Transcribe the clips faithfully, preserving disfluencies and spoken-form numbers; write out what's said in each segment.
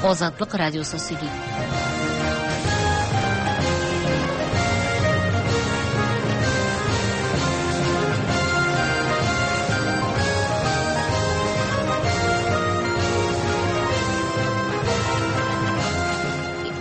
Азатлык радиосы сөйли.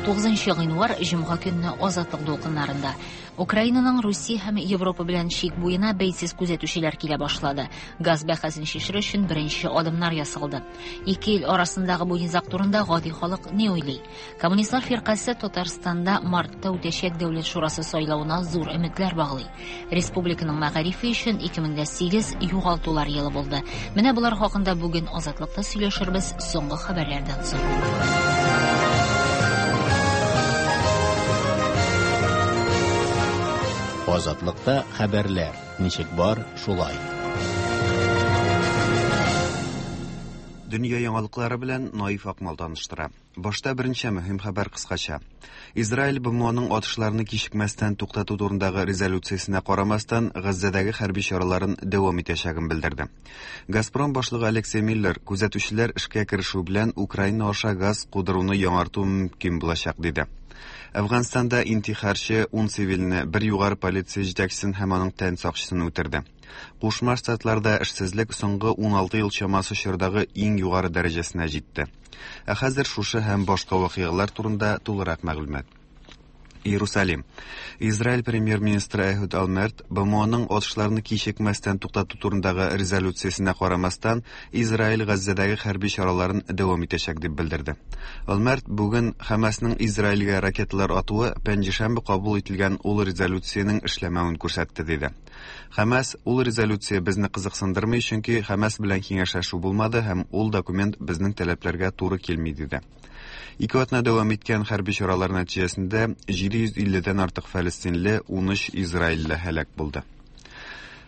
Тугызынчы гыйнвар җомга көнне Азатлык дулкыннарында. Украинаның Русия һәм Европа белән чик буена бәйсез күзәтүчеләр килә башлады. Газ бәхәсен чишер өчен беренче адымнар ясалды. Ике ил арасындагы бу низаг турында гади халык ни уйлый? Коммунистлар фиркасе Татарстанда мартта үтәчәк Дәүләт шурасы сайлавына зур өметләр баглый. Республиканың мәгарифе өчен ике мең дә сигез югалтулар елы булды. Менә болар хакында бүген Азатлыкта сөйләшербез соңгы хәбәрләрдән соң. Азатлыкта хәбәрләр ничек бар, шулай. Дөнья яңалыклары белән Наиф Акмал таныштыра. Башта беренче мөһим хәбәр кыскача. Израиль БМОның атышларны кичекмәстән туктату турындагы резолюциясенә карамастан, Газзәдәге хәрби чараларын дәвам итәчәген белдерде. Газпром башлыгы Алексей Миллер күзәтүчеләр эшкә керешү белән Украина аша газ кудыруны яңарту мөмкин булачак диде. Әфганстанда интихарчы ун цивилне, бер югары полиция җитәкчесен һәм аның тән сакчысын үтерде. Кушма Штатларда эшсезлек соңгы ун алты ел чамасы чордагы иң югары дәрәҗәсенә җитте. Ә хәзер шушы һәм башка вакыйгалар турында тулырак мәгълүмат. Иерусалим. Израиль премьер-министры Эхуд Олмерт БМОның атышларны кичекмәстән туктату турындагы резолюциясенә карамастан, Израиль Газзәдәге хәрби чараларын дәвам итәчәк дип белдерде. Олмерт бүген Хамасның Израильгә ракеталар атуы пәнҗешәмбе кабул ителгән ул резолюциянең эшләмәвен күрсәтте диде. Хамас ул резолюция безне кызыксындырмый, чөнки Хамас белән киңәшләшү булмады һәм ул документ безнең таләпләргә туры килми диде. Ике атна дәвам иткән хәрби чаралар нәтиҗәсендә җиде йөз илледән артык фәлестинле, ун өч израильле һәлак булды.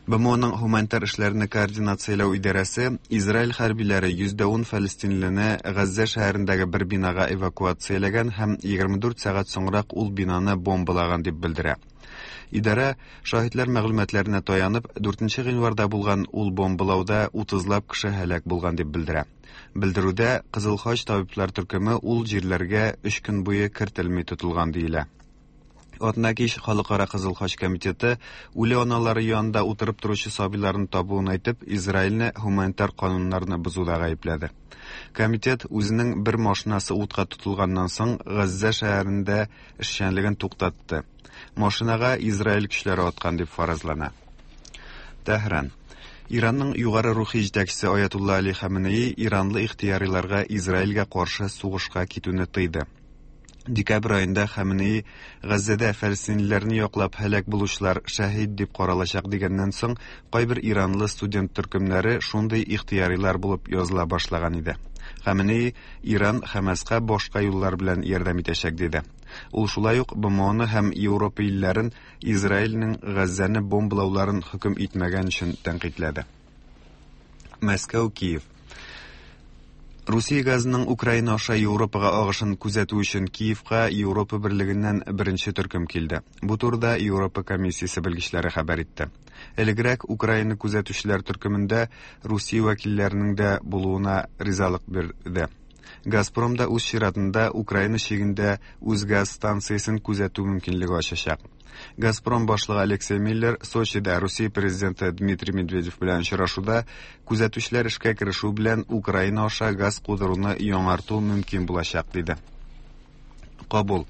БМОның гуманитар эшләрне координацияләү идарәсе Израиль хәрбиләре йөз дә ун фәлестинлене Газзә шәһәрендәге бер бинага эвакуацияләгән һәм егерме дүрт сәгать соңрак ул бинаны бомбалаган дип белдерә. Идарә шаһитлар мәгълүматларына таянып, дүртенче гыйнварда булган ул бомбалауда утызлап кеше һәлак булган дип белдерә. Белдерүдә Кызыл Хач табиблар төркеме ул җирләргә өч көн буе кертелми тотылган диелә. Атна кич Халыкара Кызыл Хач комитеты үле аналары янында утырып торучы сабыйларын табуын әйтеп, Израильне гуманитар кануннарны бозуда гаепләде. Комитет үзенең бер машинасы утка тотылганнан соң Газзә шәһәрендә эшчәнлеген туктатты. Машинага Израиль көчләре аткан дип фаразлана. Тәһран. Иранның югары рухи җитәкчесе Аятулла Али Хаменеи иранлы ихтыяриларга Израильгә каршы сугышка китүне тыйды. Декабрь айында Хаменеи Газзәдә фәлестинлеләрне яклап һәлак булучылар шәһид дип каралачак дигәннән соң кайбер иранлы студент төркемнәре шундый ихтыярилар булып языла башлаган иде. Хаменеи Иран Хамаска башка юллар белән ярдәм итәчәк диде. Ул шулай ук БМОны һәм Европа илләрен Израильнең Газзәне бомбалауларын хөкем итмәгән өчен тәнкыйтьләде. Мәскәү, Киев. Русия газының Украина аша Европага агышын күзәтү өчен Киевка Европа берлегеннән беренче төркем килде. Бу турыда Европа комиссиясе белгечләре хәбәр итте. Элегрәк Украина күзәтүчеләр төркемендә Русия вәкилләренең дә булуына ризалык бирде. Газпром да үз чиратында Украина чигендә үз газ станциясен күзәтү мөмкинлеге ачачак. Газпром башлыгы Алексей Миллер Сочида Русия президенты Дмитрий Медведев белән очрашуда күзәтүчеләр эшкә керешү белән Украина аша газ кудыруны яңарту мөмкин булачак диде. Кабул.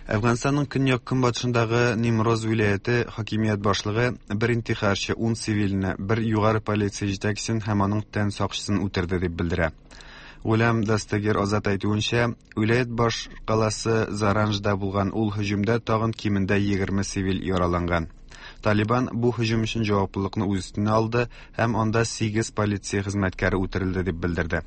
Әфганстанның көньяк-көнбатышындагы Нимроз вилаяте хакимият башлыгы бер интихарчы ун цивилне, бер югары полиция җитәкчесен һәм аның тән сакчысын үтерде дип белдерә. Гулям Дастагир Азат әйтүенчә, вилаят баш каласы Заранжда булган ул һөҗүмдә тагын кимендә егерме цивил яраланган. Талибан бу һөҗүм өчен җаваплылыкны үз өстенә алды һәм анда сигез полиция хезмәткәре үтерелде дип белдерде.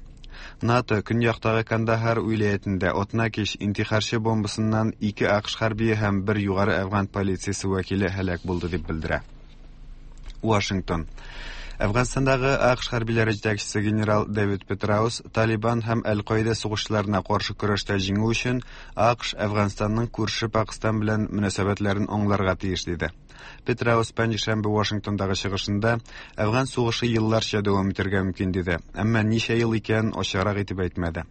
НАТО көньяктагы Кандахар вилаятендә атна кич интихарчы бомбасыннан ике АКШ хәрбие һәм бер югары әфган полициясе вәкиле һәлак булды дип белдерә. Вашингтон. Әфганстандагы АКШ хәрбиләре җитәкчесе генерал Дэвид Петраус Талибан һәм Әл-Каида сугышчыларына каршы көрәштә җиңү өчен АКШ Әфганстанның күрше Пакистан белән мөнәсәбәтләрен аңларга тиеш диде. Петраус пәнҗешәмбе Вашингтондагы чыгышында Әфган сугышы елларча дәвам итәргә мөмкин диде, әмма ничә ел икәнен ачыграк итеп әйтмәде.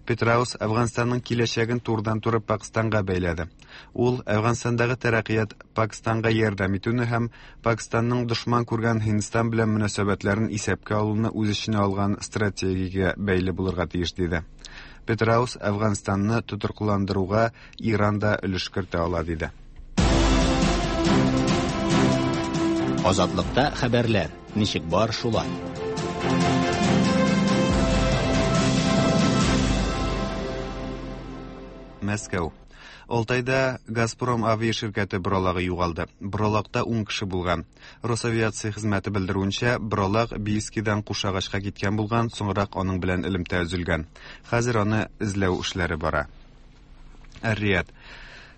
Петраус Әфганстанның киләчәген турыдан-туры Пакистанга бәйләде. Ул Әфганстандагы тәрәккыят Пакистанга ярдәм итүне һәм Пакистанның дошман күргән Һиндстан белән мөнәсәбәтләрен исәпкә алуны үз эченә алган стратегиягә бәйле булырга тиеш диде. Петраус Әфганстанны тотрыклыландыруга Иран да өлеш кертә ала диде. Азатлыкта хәбәрләр ничек бар шулай. Мәскәү. Алтайда Газпром авиа ширкәте боралагы югалды. Боралакта ун кеше булган. Росавиация хезмәте белдерүенчә, боралак Бийскидан Кушагачка киткән булган, соңрак аның белән элемтә өзелгән. Хәзер аны эзләү эшләре бара. Эр-Рияд.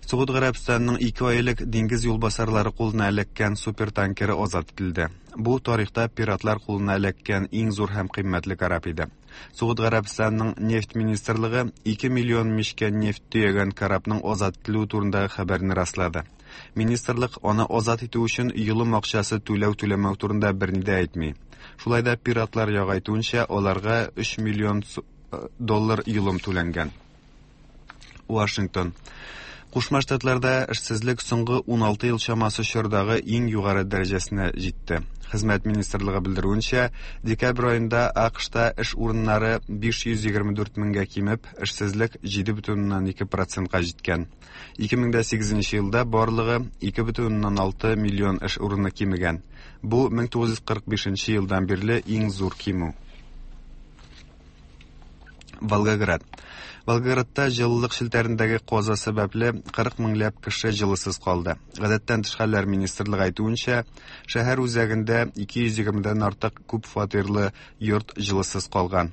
Согуд Гарәбстанының ике ай элек диңгез юлбасарлары кулына эләккән супертанкеры азат ителде. Бу тарихта пиратлар кулына эләккән иң зур һәм кыйммәтле кораб иде. Согуд Гарәбстанының нефть министрлыгы ике миллион мичкә нефть төягән корабның азат ителүе турындагы хәбәрне раслады. Министрлык аны азат итү өчен йолым акчасы түләү-түләмәү турында берни дә әйтми. Шулай да пиратлар ягы әйтүенчә, аларга өч миллион доллар йолым түләнгән. Вашингтон. Кушма Штатларда эшсезлек соңгы ун алты ел чамасы чордагы иң югары дәрәҗәсенә җитте. Хезмәт министрлыгы белдерүенчә, декабрь аенда АКШта эш урыннары биш йөз егерме дүрт меңгә кимеп, эшсезлек җиде бөтен уннан ике процентка җиткән. ике мең дә сигезенче елда барлыгы ике бөтен уннан алты миллион эш урыны кимегән. Бу мең тугыз йөз кырык бишенче елдан бирле иң зур кимү. Волгоград. Волгоградта җылылык челтәрендәге каза сәбәпле кырык меңләп кеше җылысыз калды. Гадәттән тыш хәлләр министрлыгы әйтүенчә, шәһәр үзәгендә ике йөз егермедән артык күп фатирлы йорт җылысыз калган.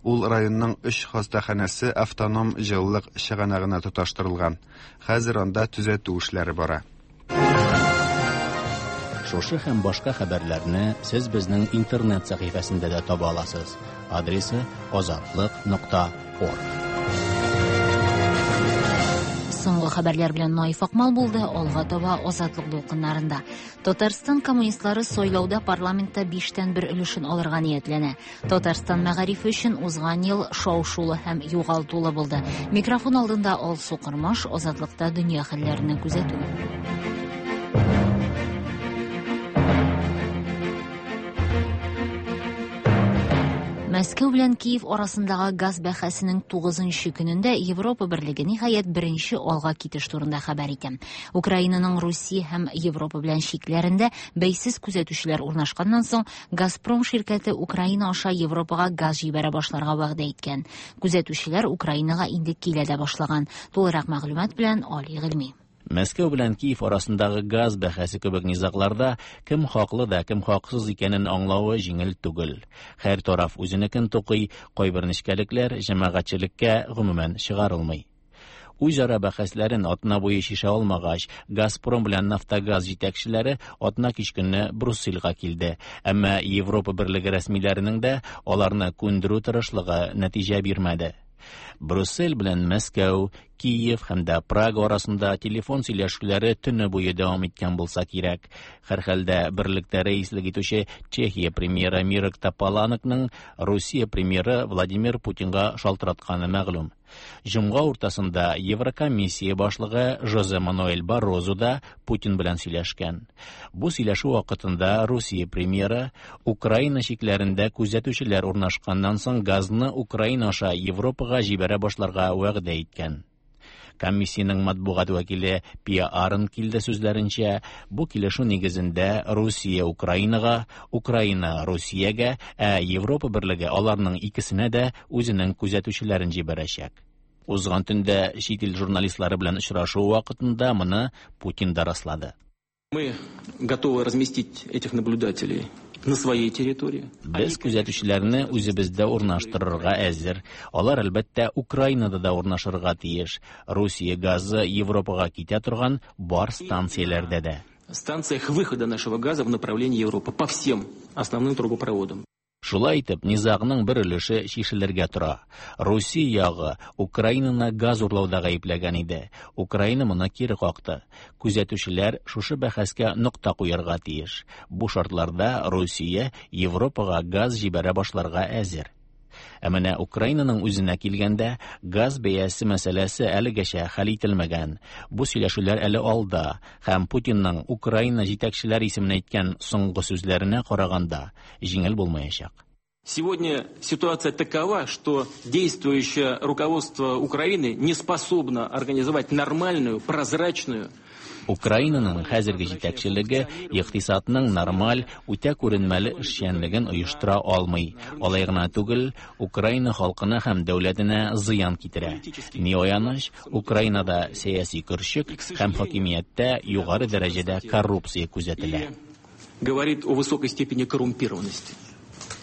Ул районның өч хастаханәсе автоном җылылык чыганагына тоташтырылган. Хәзер анда төзәтү эшләре бара. Шушы һәм башка хәбәрләрне сез безнең интернет сәхифәсендә дә таба аласыз. Адресы азатлык нокта орг. Соңгы хәбәрләр белән Наиф Акмал булды. Алга таба Азатлык дулкыннарында. Татарстан коммунистлары сайлауда парламентта биштән бер өлешен алырга ниятләнә. Татарстан мәгарифе өчен узган ел шау-шулы һәм югалтулы булды. Микрофон алдында Алсу Кырмаш, Азатлыкта дөнья хәлләрен күзәтү. Мәскәү белән Киев арасындагы газ бәхәсенең тугызынчы көнендә Европа Берлеге ниһаять беренче алга китеш турында хәбәр итә. Украинаның Русия һәм Европа белән чикләрендә бәйсез күзәтүчеләр урнашканнан соң Газпром ширкәте Украина аша Европага газ җибәрә башларга вәгъдә иткән. Күзәтүчеләр Украинага инде килә дә башлаган. Тулырак мәгълүмат белән Али Гыйльми. Мәскәү белән Киев арасындагы газ бәхәсе кебек низагларда кем хаклы да, кем хаксыз икәнен аңлавы җиңел түгел. Һәр тараф үзенекен тукый, кайбер нечкәлекләр җәмәгатьчелеккә гомумән чыгарылмый. Үзара бәхәсләрен атна буе шиша алмагач, Газпром белән Нафтогаз җитәкчеләре атна кич көнне Брюссельгә килде. Әмма Европа Берлеге рәсмиләренең дә аларны күндерү тырышлыгы нәтиҗә бирмәде. Брюссель белән Мәскәү, Киев һәм дә Прага арасында телефон сөйләшүләре төне буе дәвам иткән булса кирәк. Һәрхәлдә берлектә рәислек итүче Чехия премьеры Мирек Тополанекның Русия премьеры Владимир Путинга шалтыратканы мәгълүм. Җомга уртасында Еврокомиссия башлыгы Жозе Мануэль Баррозу да Путин белән сөйләшкән. Бу сөйләшү вакытында Русия премьеры Украина чикләрендә күзәтүчеләр урнашканнан соң газны Украина аша Европага җибәрә башларга вәгъдә иткән. Комиссиянең матбугат вәкиле Пия Арен килде сүзләренчә, бу килешү нигезендә Русия Украинага, Украина Русиягә, ә Европа Берлеге аларның икесенә дә үзенең күзәтүчеләрен җибәрәчәк. Узган төндә чит ил журналистлары белән очрашу вакытында моны Путин да раслады. Мы готовы разместить этих наблюдателей на своей территории. Без күзәтүчеләрне үзебездә урнаштырырга әзер. Алар әлбәттә Украинада да урнашырга тиеш. Русия газы Европага китә торган бар станцияләрдә дә. станциях выхода нашего газа в направлении Европы по всем основным трубопроводам. Шулай итеп, низагның бер өлеше чишелергә тора. Русия ягы Украинаны газ урлауда гаепләгән иде. Украина моны кире какты. Күзәтүчеләр шушы бәхәскә нокта куярга тиеш. Бу шартларда Русия Европага газ җибәрә башларга әзер. Ә менә Украинаның үзенә килгәндә, газ бәясе мәсьәләсе әлегәчә хәл ителмәгән. Бу сөйләшүләр әле алда һәм Путинның Украина җитәкчеләре исеменә әйткән соңгы сүзләренә караганда җиңел булмаячак. Сегодня ситуация такова, что действующее руководство Украины не способно организовать нормальную, прозрачную Украинаның хәзерге җитәкчелеге икътисадның нормаль, үтә күренмәле эшчәнлеген оештыра алмый. Алай гына түгел, Украина халкына һәм дәүләтенә зыян китерә. Ни аяныч, Украинада сәяси көрчек һәм хакимияттә югары дәрәҗәдә коррупция күзәтелә. Говорит о высокой степени коррумпированности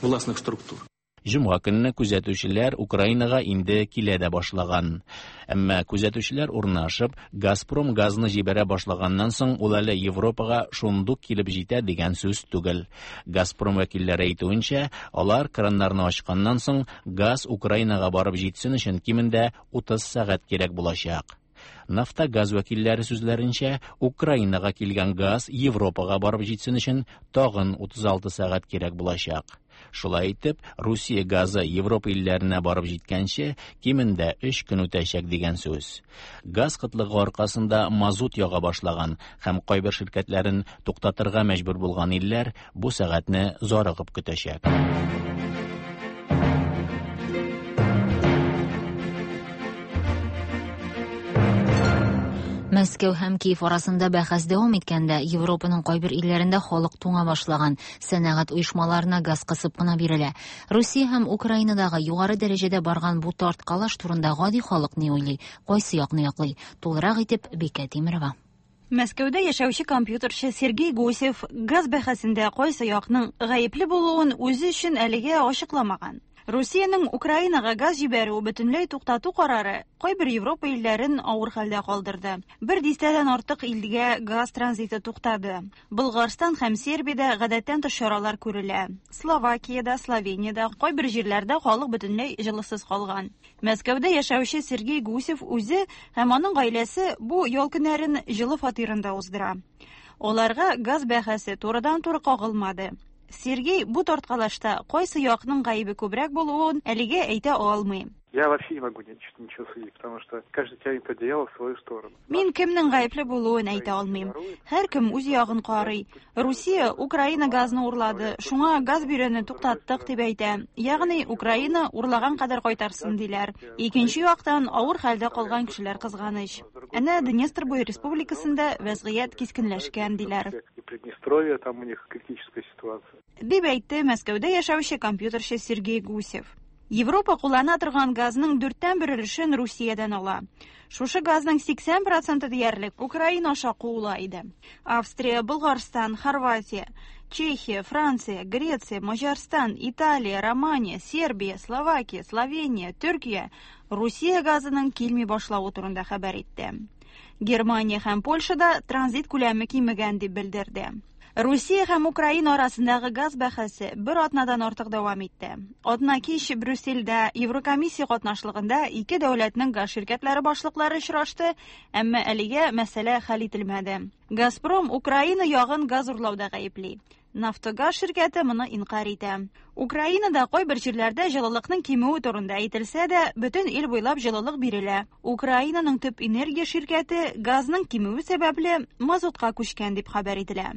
властных структур. Җомга көнне күзәтүчеләр Украинага инде килә дә башлаган. Әмма күзәтүчеләр урнашып, Газпром газны җибәрә башлаганнан соң ул әле Европага шундук килеп җитә дигән сүз түгел. Газпром вәкилләре әйтүенчә, алар краннарны ачканнан соң газ Украинага барып җитсен өчен кимендә утыз сәгать кирәк булачак. Нафтогаз вәкилләре сүзләренчә, Украинага килгән газ Европага барып җитсен өчен тагын утыз алты сәгать кирәк булачак. Шулай итеп, Русия газы Европа илләренә барып җиткәнче кимендә өч көн үтәчәк дигән сүз. Газ кытлыгы аркасында мазут яга башлаган һәм кайбер ширкәтләрен туктатырга мәҗбүр булган илләр бу сәгатьне зарыгып көтәчәк. Мәскәү һәм Киев арасында бәхәс дәвам иткәндә, Европаның кайбер илләрендә халык туңа башлаган, сәнәгать оешмаларына газ кысып кына бирелә. Русия һәм Украинадагы югары дәрәҗәдә барган бу тарткалаш турында гади халык ни уйлый, кайсы якны яклый? Тулырак итеп Бикә Тимирова. Мәскәүдә яшәүче компьютерчы Сергей Гусев газ бәхәсендә кайсы якның гаепле булуын үзе өчен әлегә ачыкламаган. Русиянең Украинага газ җибәрү бөтенләй туктату карары кайбер Европа илләрен авыр хәлдә калдырды. Бер дистәдән артык илгә газ транзиты туктады. Болгарстан һәм Сербиядә гадәттән тыш чаралар күрелә. Словакиядә, Словениядә кайбер җирләрдә халык бөтенләй җылысыз калган. Мәскәүдә яшәүче Сергей Гусев үзе һәм аның гаиләсе бу ял көннәрен җылы фатирында уздыра. Аларга газ бәхәсе турыдан-туры кагылмады. Сергей бу тарткалашта кайсы якның гаебе күбрәк булуын әлегә әйтә алмый. Я вообще не могу ничего судить, потому что каждый тянет одеяло в свою сторону. Мин кемнең гаепле булуын әйтә алмыйм. Һәркем үз ягын карый. Русия Украина газны урлады, шуңа газ бирүне туктаттык дип әйтә. Ягъни Украина урлаган кадәр кайтарсын диләр. Икенче яктан авыр хәлдә калган кешеләр кызганыч. Әнә Днестр буе республикасында вәзгыять кискенләшкән диләр. И Приднестровье, там у них критическая ситуация. Дип әйтте Мәскәүдә яшәүче компьютерчы Сергей Гусев. Европа куллана торган газның дүрттән бер өлешен Русиядән ала. Шушы газның сиксән проценты диярлек Украина аша куыла иде. Австрия, Болгарстан, Хорватия, Чехия, Франция, Греция, Маҗарстан, Италия, Романия, Сербия, Словакия, Словения, Төркия Русия газының килми башлавы турында хәбәр итте. Германия һәм Польшада транзит күләме кимегән дип белдерде. Русия һәм Украина арасындагы газ бәхәсе бер атнадан артык дәвам итте. Атна кич Брюссельдә Еврокомиссия катнашлыгында ике дәүләтнең газ ширкәтләре башлыклары очрашты, әмма әлегә мәсьәлә хәл ителмәде. Газпром Украина ягын газ урлауда гаепли. Нафтогаз ширкәте моны инкар итә. Украинада кайбер җирләрдә җылылыкның кимүе турында әйтелсә дә, бөтен ил буйлап җылылык бирелә. Украинаның төп энергия ширкәте газның кимүе сәбәпле мазутка күчкән дип хәбәр ителә.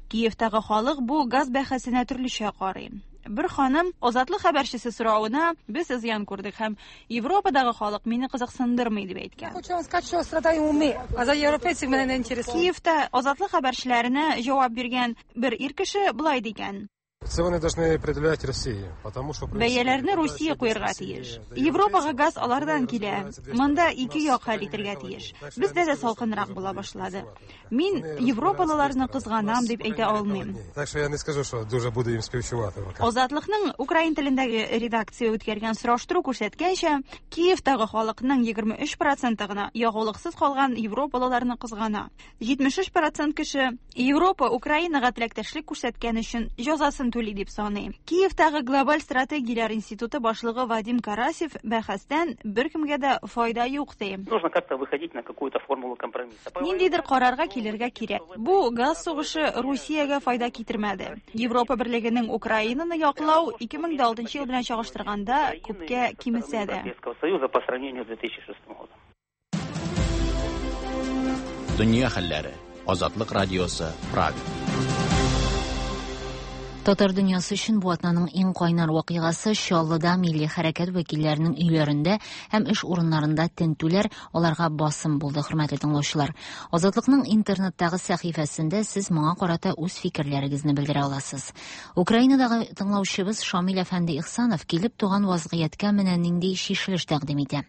Киевтагы халык бу газ бәхәсенә төрлечә карый. Бер ханым Азатлык хәбәрчесе соравына без зыян күрдек һәм Европадагы халык мине кызыксындырмый дип әйткән. Хочу вам сказать, что страдаем мы, а за европейцев меня не интересует. Киевта Азатлык хәбәрчеләренә җавап биргән бер ир кеше болай дигән: Цены должны определять Россия, потому что Бәяләрне Русия куярга тиеш. Европага газ алардан килә. Монда ике як хәл итәргә тиеш. Бездә дә салкынрак була башлады. Мин европалыларны кызганам дип әйтә алмыйм. Так что я не скажу, что дуже буду им співчувати. Азатлыкның украин телендәге редакция үткәргән сораштыру күрсәткәнчә, Киевтагы халыкның егерме өч проценты гына ягулыксыз калган европалыларны кызгана. Җитмеш өч процент кеше Европа Украинага теләктәшлек күрсәткән өчен җәзасын түли дип саный. Киевтагы Глобаль стратегияләр институты башлыгы Вадим Карасев бәхәстән беркемгә дә файда юк ди. Нужно как-то выходить на какую-то формулу компромисса. Ниндидер карарга килергә кирәк. Бу газ сугышы Русиягә файда китермәде. Европа берлегенең Украинаны яклау ике мең дә алтынчы ел белән чагыштырганда күпкә кимесә дә. Европейского Союза по сравнению с две тысячи шестым годом. Дөнья хәлләре. Азатлык радиосы, Прага. Татар дөньясы өчен бу атнаның иң кайнар вакыйгасы Чаллыда милли хәрәкәт вәкилләренең өйләрендә һәм эш урыннарында тентүләр, аларга басым булды, хөрмәтле тыңлаучылар. Азатлыкның интернеттагы сәхифәсендә сез моңа карата үз фикерләрегезне белдерә аласыз. Украинадагы тыңлаучыбыз Шамил әфәнде Ихсанов килеп туган вазгыятькә менә нинди чишелеш тәкъдим итә.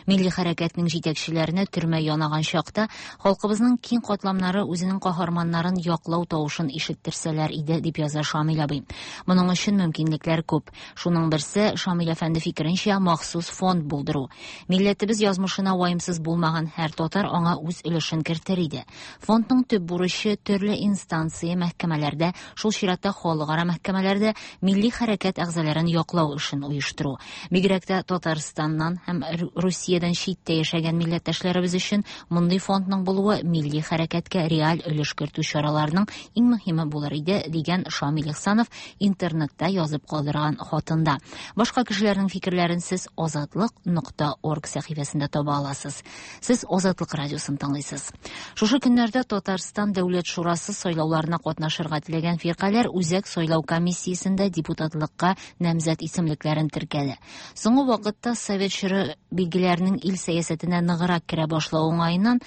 Милли хәрәкәтнең җитәкчеләренә төрмә янаган чакта халкыбызның киң катламнары үзенең каһарманнарын яклау тавышын ишеттерсәләр иде, дип яза Шамил абый. Моның өчен мөмкинлекләр күп. Шуның берсе, Шамил әфәнде фикеренчә, махсус фонд булдыру. Милләтебез язмышына ваемсыз булмаган һәр татар аңа үз өлешен кертер иде. Фондның төп бурычы төрле инстанция мәхкәмәләрдә, шул чиратта халыкара мәхкәмәләрдә милли хәрәкәт әгъзаларын яклау эшен оештыру. Бигрәк тә Татарстаннан һәм Русиядән читтә яшәгән милләттәшләребез өчен мондый фондның булуы милли хәрәкәткә реаль өлеш кертү чараларының иң мөһиме булыр иде, дигән Шамил Ихсанов интернетта язып калдырган хатында. Башка кешеләрнең фикерләрен сез азатлык нокта орг сәхифәсендә таба аласыз. Сез Азатлык радиосын тыңлыйсыз. Шушы көннәрдә Татарстан Дәүләт Шурасы сайлауларына катнашырга теләгән фиркаләр Үзәк сайлау комиссиясендә депутатлыкка намзәт исемлекләрен теркәде. Соңгы вакытта совет чоры билгеләренең ил сәясәтенә ныграк керә башлавы уңаеннан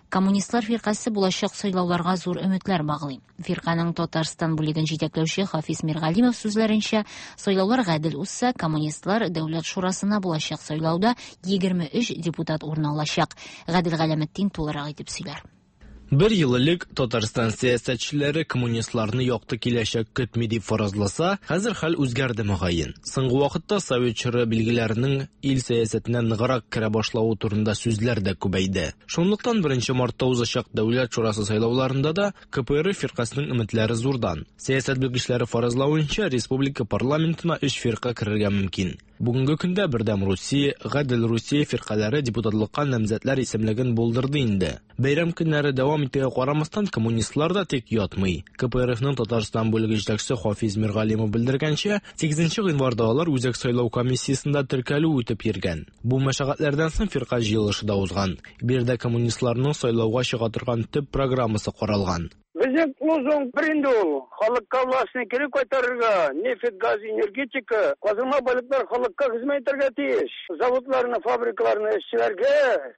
Коммунистлар фиркасе булачак сайлауларга зур өметләр баглый. Фирканың Татарстан бүлеген җитәкләүче Хафиз Миргалимов сүзләренчә, сайлаулар гадел узса, коммунистлар Дәүләт Шурасына булачак сайлауда егерме өч депутат урын алачак. Гадел Галәметдин тулырак итеп сөйләр. Бер ел элек Татарстан сәясәтчеләре коммунистларны якты киләчәк көтми дип фаразласа, хәзер хәл үзгәрде мөгаен. Соңгы вакытта совет чоры билгеләренең ил сәясәтенә ныграк керә башлавы турында сүзләр дә күбәйде. Шунлыктан беренче мартта узачак Дәүләт Шурасы сайлауларында да К П Р фиркасының өметләре зурдан. Сәясәт белгечләре фаразлавынча, республика парламентына өч фирка керергә мөмкин. Бүгенге көндә Бердәм Русия, Гадел Русия фиркаләре депутатлыкка намзәтләр исемлеген булдырды инде. Бәйрәм көннәре дәвам итүгә карамастан, коммунистлар да тик ятмый. К П Р Фның Татарстан бүлеге җитәкчесе Хафиз Миргалимов белдергәнчә, сигезенче гыйнварда алар Үзәк сайлау комиссиясендә теркәлү үтеп йөргән. Бу мәшәкатьләрдән соң фирка җыелышы да узган. Биредә коммунистларның сайлауга чыга торган төп программасы каралган. Безнең лозунг бер инде ул. Халыкка властьны кире кайтарырга, нефть, газ, энергетика, казылма байлыклар халыкка хезмәт итәргә тиеш. Заводларны, фабрикаларны эшчеләргә,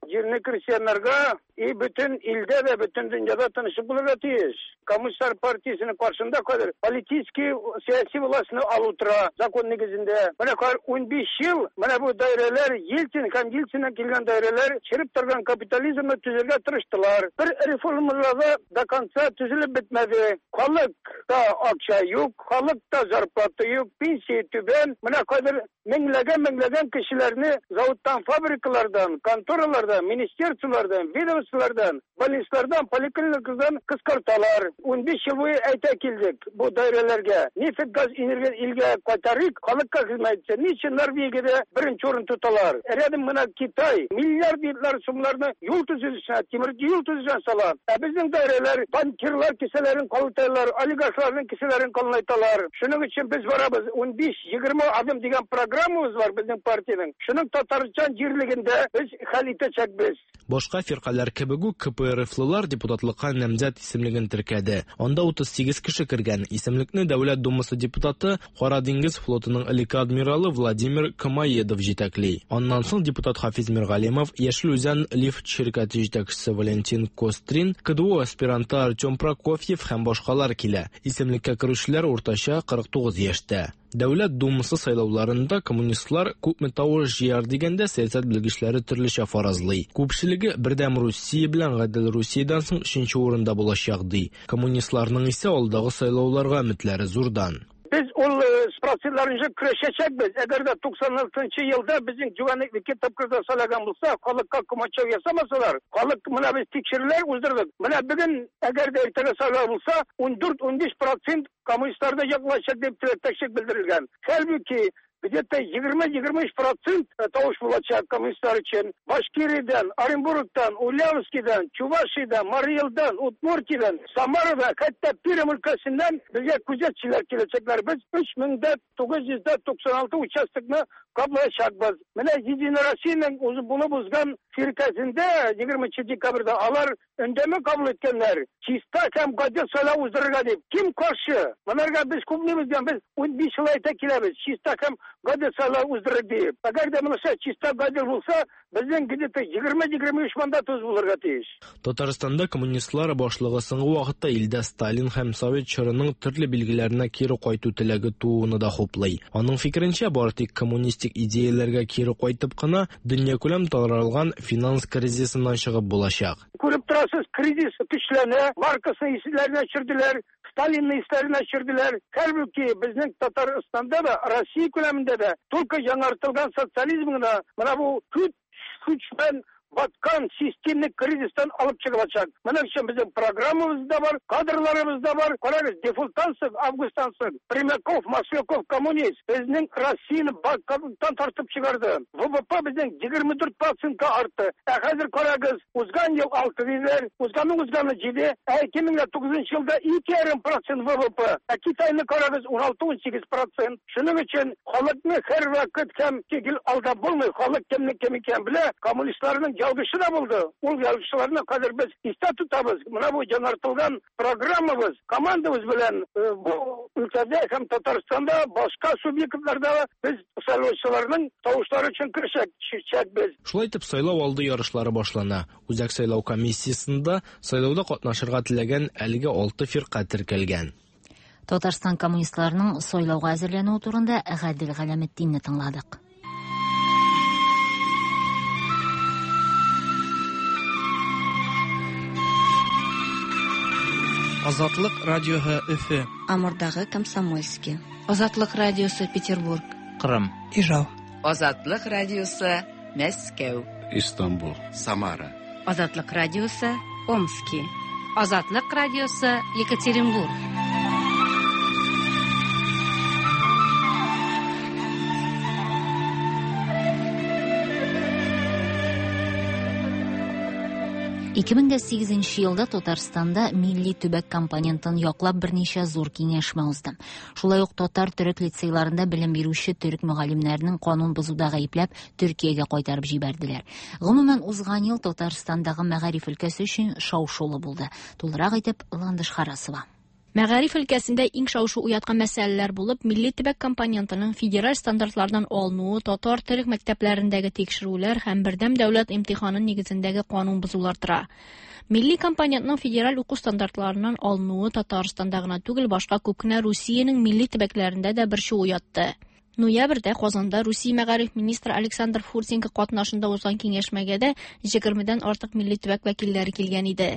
җирне крестьяннарга и бөтен илдә дә, бөтен дөньяда тынычлык булырга тиеш. Коммунистлар партиясенең каршында хәзер политический, сәяси властьны алу тора закон нигезендә. Менә хәзер унбиш ел менә бу даирәләр Ельцин һәм Ельциннән килгән даирәләр череп торган капитализмны төзергә тырыштылар. Бер реформалар да до конца төзелеп бетмәде. Халыкта акча юк, халыкта зарплата юк, пенсия түбән. Менә хәзер меңләгән меңләгән кешеләрне заводтан, фабрикалардан, конторалардан, министерстволардан, ведомстволардан, больницалардан, поликлиникалардан кыскарталар. Унбиш ел буе әйтә килдек бу даирәләргә. Нефть, газ, энергия илгә кайтарыйк, халыкка хезмәт итсен. Ни өчен Норвегиядә беренче урын тоталар? Рядом менә Китай миллиардлар сумнарны юл төзелешенә, тимер юл төзелешенә сала. Ә безнең даирәләр банкирлар кесәләрен калынайталар, олигархларның кесәләрен калынайталар. Шуның өчен без барабыз. Унбиш-егерме адым дигән программабыз бар безнең партиянең. Шуның Татарстан җирлегендә без хәл итәчәкбез. Башка фиркаләр Җәдитләр кебек үк К П Р Флылар депутатлыкка намзәт исемлеген теркәде. Анда утыз сигез кеше кергән. Исемлекне Дәүләт Думасы депутаты, Кара диңгез флотының элекке адмиралы Владимир Комоедов җитәкли. Аннан соң депутат Хафиз Миргалимов, Яшел Үзән лифт ширкәте җитәкчесе Валентин Кострин, К Д У аспиранты Артем Прокофьев һәм башкалар килә. Исемлеккә керүчеләр уртача кырык тугыз яшьтә. Дәүләт Думасы сайлауларында коммунистлар күпме тавыш җыяр дигәндә, сәясәт белгечләре төрлечә фаразлый. Күпчелеге Бердәм Русия белән Гадел Русиядән соң өченче урында булачак ди. Коммунистларның исә алдагы сайлауларга өметләре зурдан. Без ул процентларынча көрәшәчәкбез. Әгәр дә туксан алтынчы елда безнең Җүгәнек ике тапкырда сайлаган булса, халыкка комачау ясамасалар, халык, менә без тикшерүләр уздырдык. Менә бүген, әгәр дә иртәгә сайлау булса, ундүрт-унбиш процент коммунистларны яклаячак дип теләктәшлек белдерелгән. Хәлбуки где-то егерме-егерме өч процент тавыш булачак коммунистлар өчен. Башкириядән, Оренбургтан, Ульяновскийдан, Чувашиядән, Марий Элдан, Удмуртиядән, Самарадан, хәтта Пермь өлкәсеннән безгә күзәтчеләр киләчәкләр. Без өч мең дә тугыз йөз туксан алты участокны каплаячакбыз. Менә Единая Россиянең үзе булып узган фиркәсендә егерменче декабрьдә алар өндәмә кабул иткәннәр. Чиста һәм гадел сайлау уздырырга дип. Кем каршы? Монарга без күпнебез, без унбиш ел әйтә киләбез. Чиста һәм гадел сайлау уздырыр дип. Әгәр дә монысы чиста, гадел булса, безнең где-то егерме-егерме өч мандатыбыз булырга тиеш. Татарстанда коммунистлар башлыгы соңгы вакытта илдә Сталин һәм Совет чорының төрле билгеләренә кире кайту теләге тууны да хуплый. Аның фикеренчә, бары тик коммунистик идеяләргә кире кайтып кына дөньякүләм таралган финанс кризисыннан чыгып булачак. Күреп торасыз, кризис көчләнә, Марксны исләренә төшерделәр, Сталинны исләренә төшерделәр. Хәлбуки безнең Татарстанда да, Россия күләмендә дә только яңартылган социализм гына менә бу көч көч белән баткан системный кризистан алып чыгылачак. Моның өчен безнең программабыз да бар, кадрларыбыз да бар. Карагыз, дефолттан соң, августтан соң Примаков, Масляков, коммунист безнең Россияне банкроттан тартып чыгарды. В В П безнең егерме дүрт процентка артты. Ә хәзер карагыз, узган ел алты диләр, узганның узганы җиде, ә ике мең тугызынчы елда ике ярым процент В В П. Ә Китайны карагыз, уналты-унсигез процент. Шуның өчен халыкны һәр вакыт һәм тигел алдап булмый. Халык кемнең кем икәнен белә. Коммунистларның ялгышы да булды. Ул ялгышларны хәзер без истә тотабыз. Менә бу яңартылган программабыз, командабыз белән бу өлкәдә һәм Татарстанда, башка субъектларда без сайлаучыларның тавышлары өчен көрәшәчәкбез. Шулай итеп, сайлау алды ярышлары башлана. Үзәк сайлау комиссиясендә сайлауда катнашырга теләгән әлегә алты фирка теркәлгән. Татарстан коммунистларының сайлауга әзерләнүе турында Гадел Галәметдинне тыңладык. Азатлык радиоһы, Өфө. Амурдагы Комсомольский. Азатлык радиосы, Петербург. Кырым. Ижау. Азатлык радиосы, Мәскәү. Истанбул. Самара. Азатлык радиосы, Омски. Азатлык радиосы, Екатеринбург. Ике мең сигезенче елда Татарстанда милли төбәк компонентын яклап берничә зур киңәшмә узды. Шулай ук татар төрек лицейларында белем бирүче төрек мөгаллимнәренең канун бозуда гаепләп Төркиягә кайтарып җибәрделәр. Гомумән, узган ел Татарстандагы мәгариф өлкәсе өчен шау-шулы булды. Тулырак итеп Ландыш Харасова. Мәгариф өлкәсендә иң шау-шу уяткан мәсьәләләр булып милли төбәк компонентының федераль стандартлардан алынуы, татар төрек мәктәпләрендәге тикшерүләр һәм бердәм дәүләт имтиханы нигезендәге канун бозулар тора. Милли компонентның федераль уку стандартларыннан алынуы Татарстанда гына түгел, башка күп кенә Русиянең милли төбәкләрендә дә борчу уятты. Ноябрьдә Казанда Русия мәгариф министры Александр Фурсенко катнашында узган киңәшмәгә дә егермедән артык милли төбәк вәкилләре килгән иде.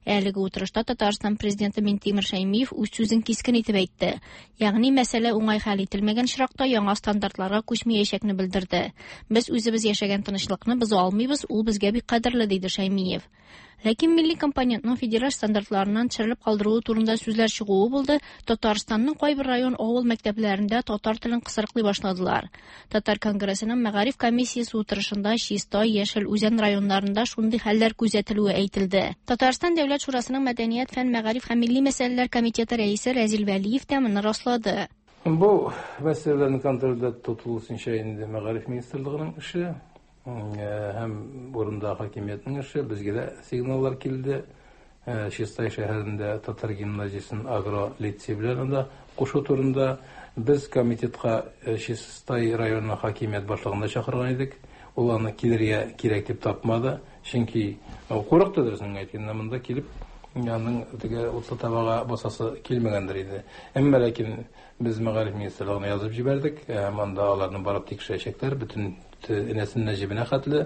Әлеге утырышта Татарстан президенты Минтимер Шәймиев үз сүзен кискен итеп әйтте. Ягъни мәсьәлә уңай хәл ителмәгән очракта яңа стандартларга күчмәячәкне белдерде. Без үзебез яшәгән тынычлыкны боза алмыйбыз, ул безгә бик кадерле, диде Шәймиев. Ләкин милли компонентның федераль стандартларыннан төшерелеп калдыруы турында сүзләр чыгуы булды, Татарстанның кайбер район, авыл мәктәпләрендә татар телен кысрыклый башладылар. Татар конгрессының мәгариф комиссиясе утырышында Чистай, Яшел Үзән районнарында шундый хәлләр күзәтелүе әйтелде. Татарстан Дәүләт шурасының мәдәният, фән, мәгариф һәм милли мәсьәләләр комитеты рәисе Рәзил Вәлиев тә моны раслады. Бу мәсьәләләрнең контрольдә тотылу инде мәгариф министрлыгының эше. Һәм урында хакимиятнең эше, безгә дә сигналлар килде. Чистай шәһәрендә татар гимназиясен агро лицей белән анда кушу турында без комитетка Чистай районы хакимият башлыгын да чакырган идек. Ул аны килергә кирәк дип тапмады. Чөнки курыкты, дөресен әйткәндә, монда килеп аның теге утлы табага басасы килмәгәндер иде. Әмма ләкин без мәгариф министрлыгына язып җибәрдек. Һәм анда аларны барып тикшерәчәкләр, бөтен энәсеннән җебенә хәтле.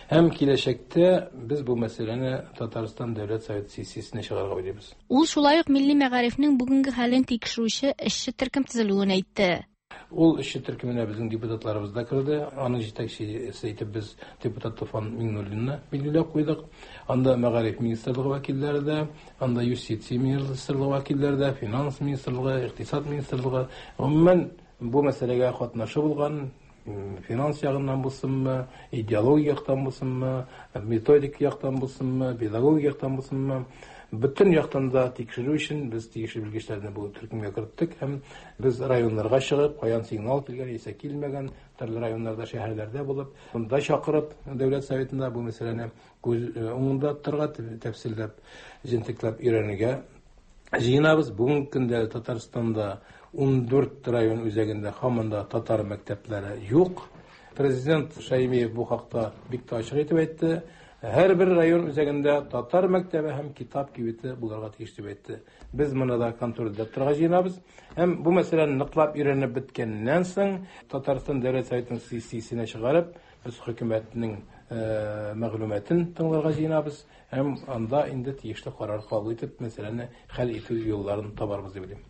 Һәм киләчәктә без бу мәсьәләне Татарстан Дәүләт Советы сессиясенә чыгарырга уйлыйбыз. Ул шулай ук милли мәгарифнең бүгенге хәлен тикшерүче эшче төркем төзелүен әйтте. Ул эшче төркеменә безнең депутатларыбыз да керде. Аның җитәкчесе итеп без депутат Туфан Миңнуллинны билгеләп куйдык. Анда мәгариф министрлыгы вәкилләре дә, анда юстиция министрлыгы вәкилләре дә, финанс министрлыгы, икътисад министрлыгы, гомумән бу мәсьәләгә катнашы булган финанс ягыннан булсынмы, идеология яктан булсынмы, методик яктан булсынмы, педагогик яктан булсынмы, бөтен яктан да тикшерү өчен без тиешле белгечләрне бу төркемгә керттек һәм без районнарга чыгып, каян сигнал килгән, яисә килмәгән, төрле районнарда, шәһәрләрдә булып, монда чакырып, Дәүләт Советында бу мәсьәләне күз уңында тотарга, тәфсилләп, җентекләп өйрәнергә җыенабыз. Бүгенге көндә Татарстанда ун дүрт район үзәгендә һаман да татар мәктәпләре юк. Президент Шаймиев бу хакта бик тә ачык итеп әйтте. Һәр бер район үзәгендә татар мәктәбе һәм китап кибете булырга тиеш дип әйтте. Без моны да контрольдә тотарга җыенабыз. Һәм бу мәсьәләне ныклап өйрәнеп беткәннән соң Татарстан Дәүләт Советының сессиясенә чыгарып, без хөкүмәтнең мәгълүматын тыңларга җыенабыз һәм анда инде тиешле карар кабул итеп, мәсьәләне хәл итү юлларын табарбыз дип уйлыйм.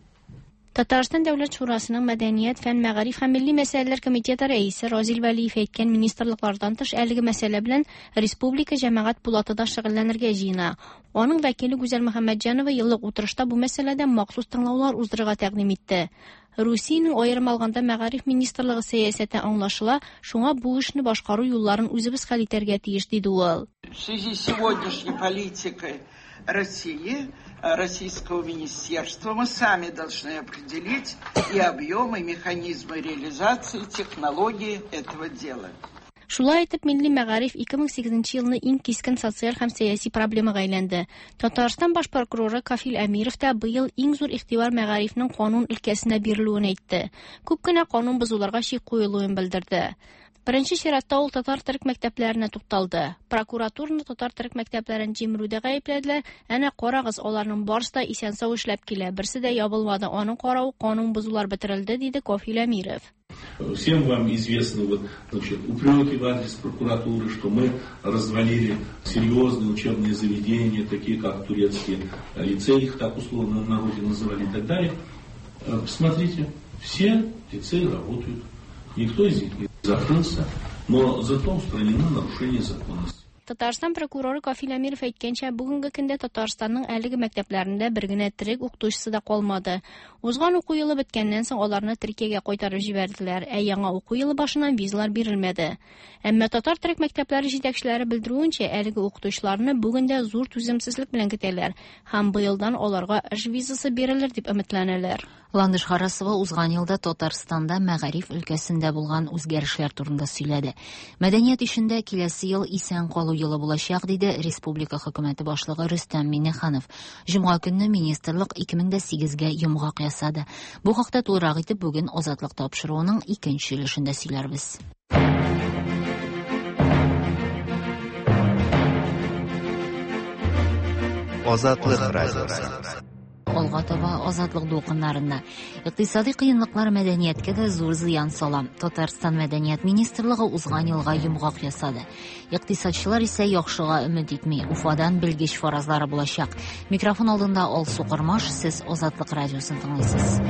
Татарстан Дәүләт Шурасының Мәдәният, фән, мәгариф һәм милли мәсьәләләр комитеты рәисе Разил Вәлиев әйткән министрлыклардан тыш әлеге мәсьәлә белән республика җәмәгать пулаты да шөгыльләнергә җыена. Аның вәкиле Гүзәл Мөхәммәтҗанова еллык утырышта бу мәсьәләдә махсус тыңлаулар уздырырга тәкъдим итте. Русиянең аерым алганда мәгариф министрлыгы сәясәте аңлашыла, шуңа бу эшне башкару юлларын үзебез хәл итәргә тиеш, диде ул. В связи с сегодняшней политикой России, Российского министерства, мы сами должны определить и объемы, и механизмы реализации, технологии этого дела. Шулай итеп, милли мәгариф ике мең сигезенче елны иң кискен социаль һәм сәяси проблемага әйләнде. Татарстан баш прокуроры Кафил Әмиров та быел иң зур игътибар мәгарифнең канун өлкәсенә бирелүен әйтте. Күп кенә канун бозуларга чик куелуын белдерде. Беренче чиратта ул татар-төрек мәктәпләренә тукталды. Прокуратураны татар-төрек мәктәпләрен җимерүдә гаепләделәр. Әнә карагыз, аларның барысы да исән-сау эшләп килә, берсе дә ябылмады. Аның каравы канун бозулар бетерелде, диде Кафил Әмиров. Всем вам известны вот, значит, упреки в адрес прокуратуры, что мы развалили серьезные учебные заведения, такие как турецкие лицеи, их так условно в народе называли и так далее. Посмотрите, все лицеи работают, никто из них не закрылся, но зато устранено нарушение законности. Татарстан прокуроры Кафил Әмиров әйткәнчә, бүгенге көндә Татарстанның әлеге мәктәпләрендә бер генә төрек укытучысы да калмады. Узган уку елы беткәннән соң аларны Төркиягә кайтарып җибәрделәр, ә яңа уку елы башыннан визалар бирелмәде. Әмма татар-төрек мәктәпләре җитәкчеләре белдерүенчә, әлеге укытучыларны бүген дә зур түземсезлек белән көтәләр һәм быелдан аларга эш визасы бирелер дип өметләнәләр. Ландыш Харасова узган елда Татарстанда мәгариф өлкәсендә булган үзгәрешләр турында сөйләде. Мәдәният эшендә киләсе ел исән калу елы булачак, диде республика хөкүмәте башлыгы Рөстәм Миңнеханов. Җомга көнне министрлык ике мең дә сигезгә йомгак ясады. Бу хакта тулырак итеп бүген Азатлык тапшыруының икенче өлешендә сөйләрбез. Азатлык радиосы. Алга таба Азатлык дулкыннарында. Икътисади кыенлыклар мәдәнияткә дә зур зыян сала. Татарстан мәдәният министрлыгы узган елга йомгак ясады. Икътисадчылар исә яхшыга өмет итми. Уфадан белгеч фаразлары булачак. Микрофон алдында Алсу Кормаш, сез Азатлык радиосын тыңлыйсыз.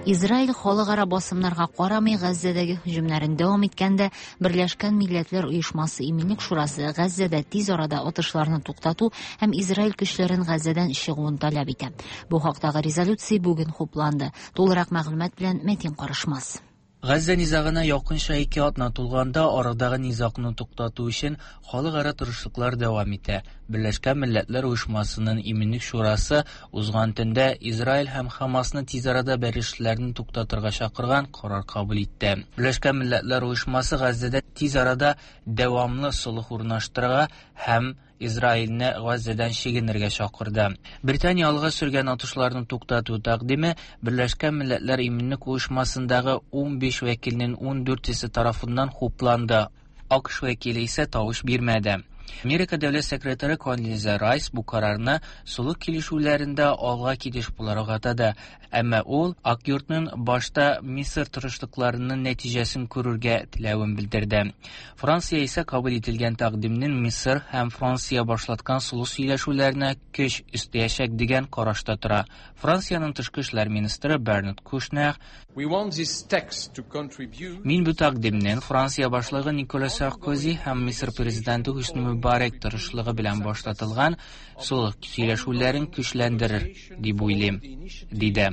Израиль халыкара басымнарга карамый Газзәдәге һөҗүмнәрен дәвам иткәндә, Берләшкән Милләтләр Оешмасы Иминлек Шурасы Газзәдә тиз арада атышларны туктату һәм Израиль көчләрен Газзәдән чыгуын таләп итә. Бу хактагы резолюция бүген хупланды. Тулырак мәгълүмат белән Мәтин Карышмас. Газзә низагына якынча ике атна тулганда арадагы низагны туктату өчен халыкара тырышлыклар дәвам итә. Берләшкән Милләтләр Оешмасының Иминлек Шурасы узган төндә Израиль һәм Хамасны тиз арада бәрелешләрне туктатырга чакырган карар кабул итте. Берләшкән Милләтләр Оешмасы Газзәдә тиз арада дәвамлы солых урнаштырырга һәм Израильне Газзәдән чигенергә чакырды. Британия алга сөргән атышларны туктату тәкъдиме Берләшкән Милләтләр Иминлек Оешмасындагы унбиш вәкилнең ундүртесе тарафыннан хупланды. АКШ вәкиле исә тавыш бирмәде. Америка дәүләт секретаре Кондолиза Райс бу карарны солых килешүләрендә алга китеш буларак атады. Әмма ул Ак йортның башта Мисыр тырышлыкларының нәтиҗәсен күрергә теләвен белдерде. Франция исә кабул ителгән тәкъдимнең Мисыр һәм Франция башлаткан солых сөйләшүләренә көч өстәячәк дигән карашта тора. Франциянең тышкы эшләр министры Бернард Кушнер: "Мин бу тәкъдимнең Франция башлыгы Никола Саркози һәм Мисыр президенты Хөсни Мөбарәк тырышлыгы белән башлатылган солых сөйләшүләрен көчләндерер дип уйлыйм", диде.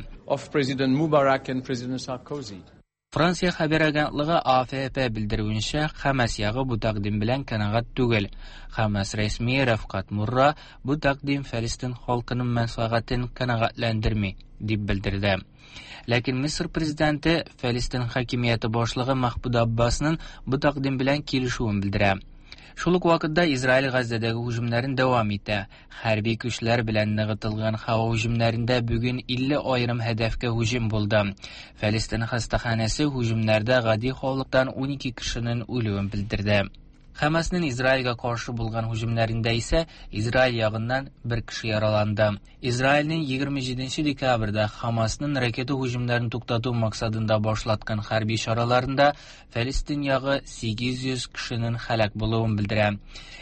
Франция хәбәр агентлыгы А Ф П белдерүенчә, Хамас ягы бу тәкъдим белән канәгать түгел. Хамас рәсми Рәфкать Мурра бу тәкъдим Фәлестин халкының мәнфәгатен канәгатьләндерми дип белдерде. Ләкин Мисыр президенты Фәлестин хакимияте башлыгы Махмуд Аббасның бу тәкъдим белән килешүен белдерә. Шул ук вакытта Израиль Газзәдәге һөҗүмнәрен дәвам итә. Хәрби көчләр белән ныгытылган һава һөҗүмнәрендә бүген илле аерым һәдәфкә һөҗүм булды. Фәлестин хастаханәсе һөҗүмнәрдә гади халыктан унике кешенең үлүен белдерде. Хамасның Израильгә каршы булган һөҗүмнәрендә исә Израиль ягыннан бер кеше яраланды. Израильнең егерме җиденче декабрьдә Хамасның ракета һөҗүмнәрен туктату максатында башлаткан хәрби чараларында Фәлестин ягы сигез йөз кешенең һәлак булуын белдерә.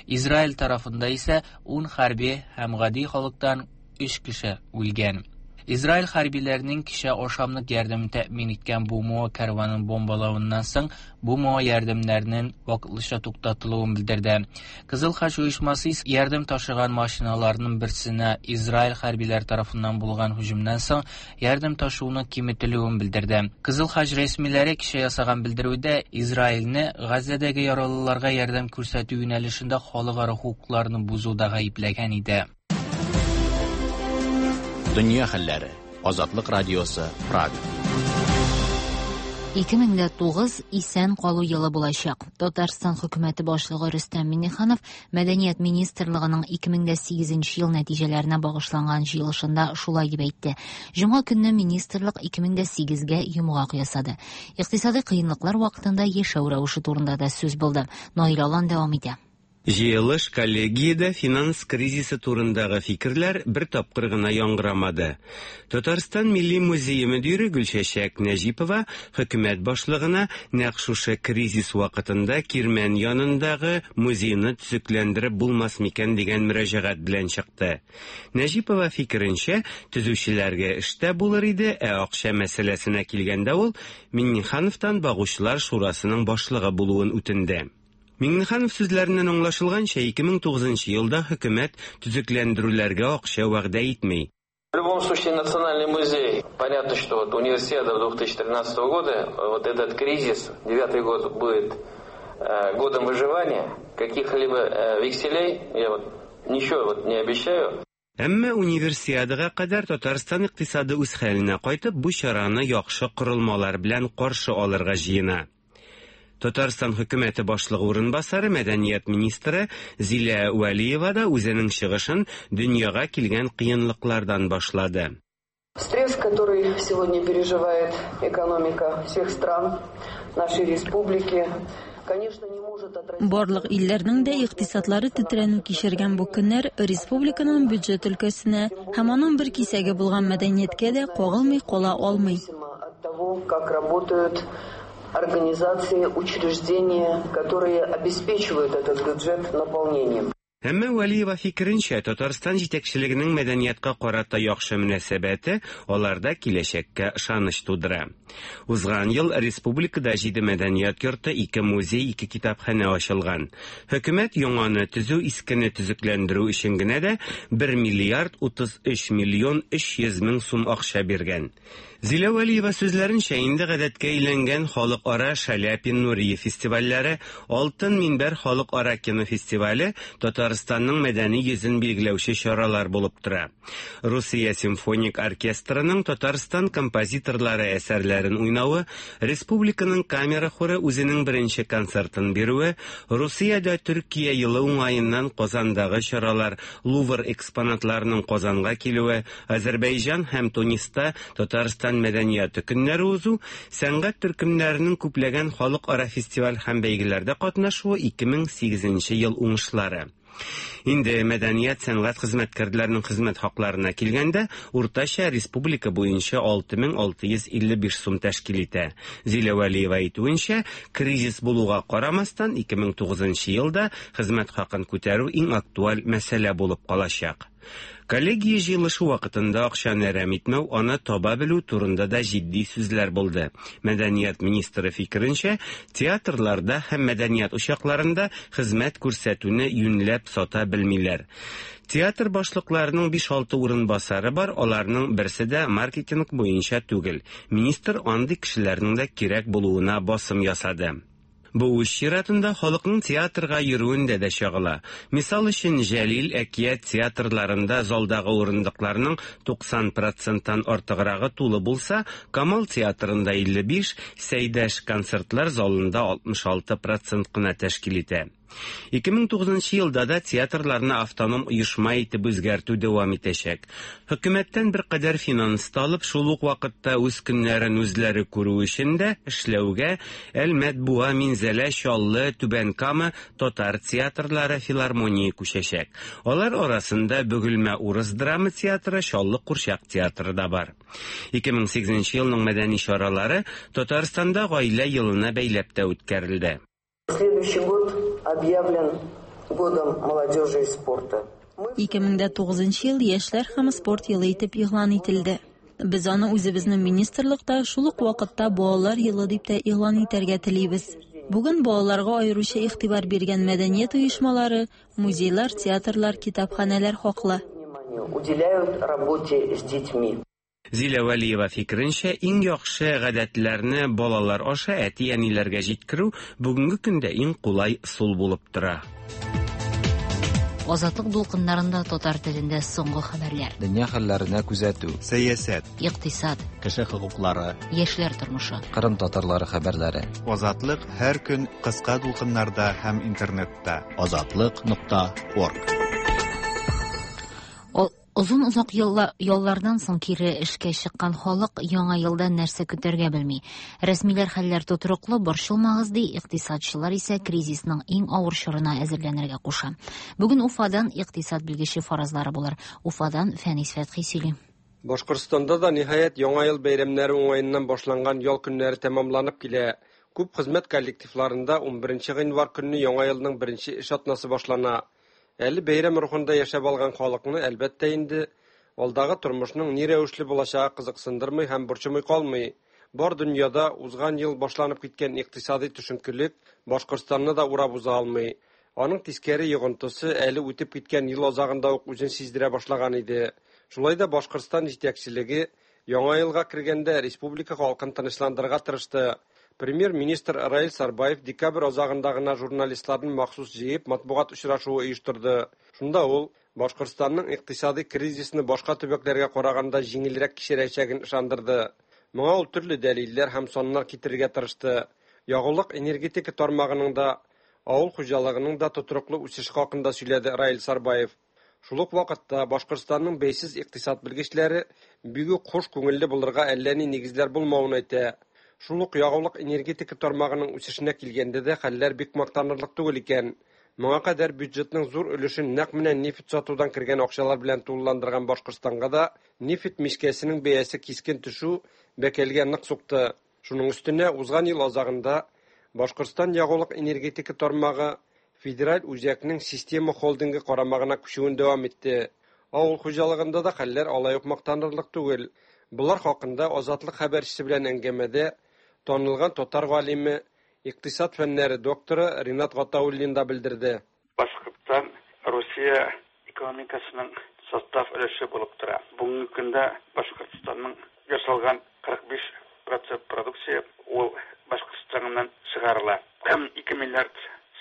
Израиль тарафында исә ун хәрби һәм гади халыктан өч кеше үлгән. Израиль хәрбиләренең кичә ашамлык ярдәмен тәэмин иткән БМО кәрванын бомбалавыннан соң БМО ярдәмнәренең вакытлыча туктатылуын белдерде. Кызыл Хач оешмасы ярдәм ташыган машиналарның берсенә Израиль хәрбиләре тарафыннан булган һөҗүмнән соң ярдәм ташуының киметелүен белдерде. Кызыл Хач рәсмиләре кичә ясаган белдерүдә Израильне Газзәдәге яралыларга ярдәм күрсәтү юнәлешендә халыкара хокукларны бозуда гаепләгән иде. Дөнья хәлләре. Азатлык радиосы, Прага. ике мең дә тугыз исән калу елы булачак. Татарстан хөкүмәте башлыгы Рөстәм Миңнеханов Мәдәният министрлыгының ике мең дә сигезенче ел нәтиҗәләренә багышланган җыелышында шулай дип әйтте. Җомга көнне министрлык ике мең дә сигезгә йомгак ясады. Икътисади кыенлыклар вакытында яшәү рәвеше турында да сүз булды. Наил Алан дәвам итә. Җыелыш коллегиядә финанс кризисы турындагы фикерләр бер тапкыр гына яңгырамады. Татарстан Милли музее мөдире Гөлчәчәк Нәҗипова хөкүмәт башлыгына нәкъ шушы кризис вакытында Кирмән янындагы музейны төзекләндереп булмас микән дигән мөрәҗәгать белән чыкты. Нәҗипова фикеренчә, төзүчеләргә эштә булыр иде, ә акча мәсьәләсенә килгәндә ул Миңнехановтан багучылар шурасының башлыгы булуын үтенде. Миңнеханов сүзләреннән аңлашылганча, ике мең тугызынчы елда хөкүмәт төзекләндерүләргә акча вәгъдә итми. В любом случае, Национальный музей, понятно, что вот универсиада две тысячи тринадцатого года, вот этот кризис, девятый год будет э, годом выживания, каких-либо э, векселей, я вот ничего вот не обещаю. Әмма универсиадага кадәр Татарстан икътисады үз хәленә кайтып, бу чараны яхшы корылмалар белән каршы алырга җыена. Татарстан хөкүмәте башлыгы урынбасары, мәдәният министры Зилә Вәлиева да үзенең чыгышын дөньяга килгән кыенлыклардан башлады. Стресс, который сегодня переживает экономика всех стран нашей республики, конечно, не может отразить. Барлык илләрнең дә икътисадлары тетрәнү кичергән бу көннәр республиканың бюджет өлкәсенә һәм аның бер кисәге булган мәдәнияткә дә кагылмый кала алмый. От того, как работают организации, учреждения, которые обеспечивают этот бюджет наполнением. Әмма Вәлиева фикеренчә, Татарстан җитәкчелегенең мәдәниятка карата яхшы мөнәсәбәте аларда киләчәккә ышаныч тудыра. Узган ел республикада җиде мәдәният йорты, ике музей, ике китапханә ачылган. Хөкүмәт яңаны төзү, искене төзекләндерү өчен генә дә бер миллиард утыз өч миллион өч йөз мең сум акча биргән. Зилә Вәлиева сүзләренчә, инде гадәткә әйләнгән халыкара Шаляпин Нуриев фестивальләре, Алтын минбәр халыкара кинофестивале Татарстанның мәдәни йөзен билгеләүче чаралар булып тора. Русия симфоник оркестрының Татарстан композиторлары әсәрләрен уйнавы, республиканың камера хоры үзенең беренче концертын бирүе, Русиядә Төркия елы уңаеннан Казандагы чаралар, Лувр экспонатларының Казанга килүе, Азербайҗан һәм Туниста Татарстан мәдәнияте көннәре узу, сәнгать төркемнәренең күпләгән халыкара фестиваль һәм бәйгеләрдә катнашуы ике мең сигезенче ел уңышлары. Инде мәдәният сәнгать хезмәткәрләренең хезмәт хакларына килгәндә, уртача республика буенча алты мең алты йөз илле биш сум тәшкил итә. Зилә Вәлиева әйтүенчә, кризис булуга карамастан ике мең тугызынчы елда хезмәт хакын күтәрү иң актуаль мәсьәлә булып калачак. Коллегия җыелышы вакытында акчаны әрәм итмәү, аны таба белү турында да җитди сүзләр булды. Мәдәният министры фикеренчә, театрларда һәм мәдәният учакларында хезмәт күрсәтүне юньләп сата белмиләр. Театр башлыкларының биш-алты урынбасары бар, аларның берсе дә маркетинг буенча түгел. Министр андый кешеләрнең дә кирәк булуына басым ясады. Бу үз чиратында халыкның театрга йөрүендә дә чагыла. Мисал өчен, Җәлил, Әкият театрларында залдагы урындыкларның туксан проценттан артыграгы тулы булса, Камал театрында илле биш, Сәйдәш концертлар залында алтмыш алты процент кына тәшкил итә. Ике мең тугызынчы елда да театрларны автоном оешма итеп үзгәртү дәвам итәчәк. Хөкүмәттән беркадәр финанс алып, шул ук вакытта үз көннәрен үзләре күрү өчен дә эшләүгә Әлмәт, Буа, Минзәлә, Чаллы, Түбән Кама татар театрлары филармония күчәчәк. Алар арасында Бөгелмә урыс драма театры, Чаллы курчак театры да бар. Ике мең сигезенче елның мәдәни чаралары Татарстанда гаилә елына бәйләп тә үткәрелде. Следующий год объявлен годом молодежи и спорта. Ике мең дә тугызынчы ел яшьләр һәм спорт елы итеп игълан ителде. Без аны үзебезнең министрлыкта шул ук вакытта балалар елы дип тә игълан итәргә телибез. Бүген балаларга аеруча игътибар биргән мәдәният оешмалары, музейлар, театрлар, китапханәләр хаклы. Уделяют работе с детьми. Зилә Вәлиева фикеренчә, иң яхшы гадәтләрне балалар аша әти-әниләргә җиткерү бүгенге көндә иң кулай ысул булып тора. Азатлык дулкыннарында татар телендә соңгы хәбәрләр. Дөнья хәлләренә күзәтү, сәясәт, икътисад, кеше хокуклары, яшьләр тормышы, Кырым татарлары хәбәрләре. Азатлык һәр көн кыска дулкыннарда һәм интернетта. Азатлык нокта орг. Озын озак яллардан соң кире эшкә чыккан халык яңа елдан нәрсә көтәргә белми. Рәсмиләр хәлләр тотрыклы, борчылмагыз ди, икътисадчылар исә кризисның иң авыр чорына әзерләнергә куша. Бүген Уфадан икътисад белгече фаразлары булыр. Уфадан Фәнис Фәтхи сөйли. Башкортстанда да ниһаять яңа ел бәйрәмнәре уңаеннан башланган ял көннәре тәмамланып килә. Күп хезмәт коллективларында ун беренче гыйнвар көнне яңа елның беренче эш атнасы башлана. Әле бәйрәм рухында яшәп алган халыкны, әлбәттә инде, алдагы тормышның ни рәвешле булачагы кызыксындырмый һәм борчымый калмый. Бар дөньяда узган ел башланып киткән икътисади төшенкелек Башкортстанны да урап уза алмый. Аның тискәре йогынтысы әле үтеп киткән ел азагында ук үзен сиздерә башлаган иде. Шулай да Башкортстан җитәкчелеге яңа елга кергәндә республика халкын тынычландырырга тырышты. Премьер-министр Раил Сарбаев декабрь азагында гына журналистларны махсус җыеп матбугат очрашуы оештырды. Шунда ул Башкортстанның икътисади кризисны башка төбәкләргә караганда җиңелрәк кичерәчәген ышандырды. Моңа ул төрле дәлилләр һәм саннар китерергә тырышты. Ягулык энергетика тармагының да, авыл хуҗалыгының да тотрыклы үсеше хакында сөйләде Раил Сарбаев. Шул ук вакытта Башкортстанның бәйсез икътисад белгечләре бик үк хуш күңелле булырга әллә ни нигезләр булмавын әйтә. Шул ук ягулык энергетика тармагының үсешенә килгәндә дә хәлләр бик мактанырлык түгел икән. Моңа кадәр бюджетның зур өлешен нәкъ менә нефть сатудан кергән акчалар белән тулыландырган Башкортстанга да нефть мичкәсенең бәясе кискен төшү бәкәлгә нык сукты. Шуның өстенә узган ел азагында Башкортстан ягулык энергетика тармагы федераль үзәкнең система холдингы карамагына күчүен дәвам итте. Авыл хуҗалыгында да хәлләр алай ук мактанырлык түгел. Болар хакында Азатлык хәбәрчесе белән әңгәмәдә танылган татар галиме, икътисад фәннәре докторы Ринат Гатауллин да белдерде. Башкортстан Русия экономикасының состав өлеше булып тора. Бүгенге көндә Башкортстанның ясалган кырык биш процент продукция ул Башкортстаннан чыгарыла. Һәм ике миллиард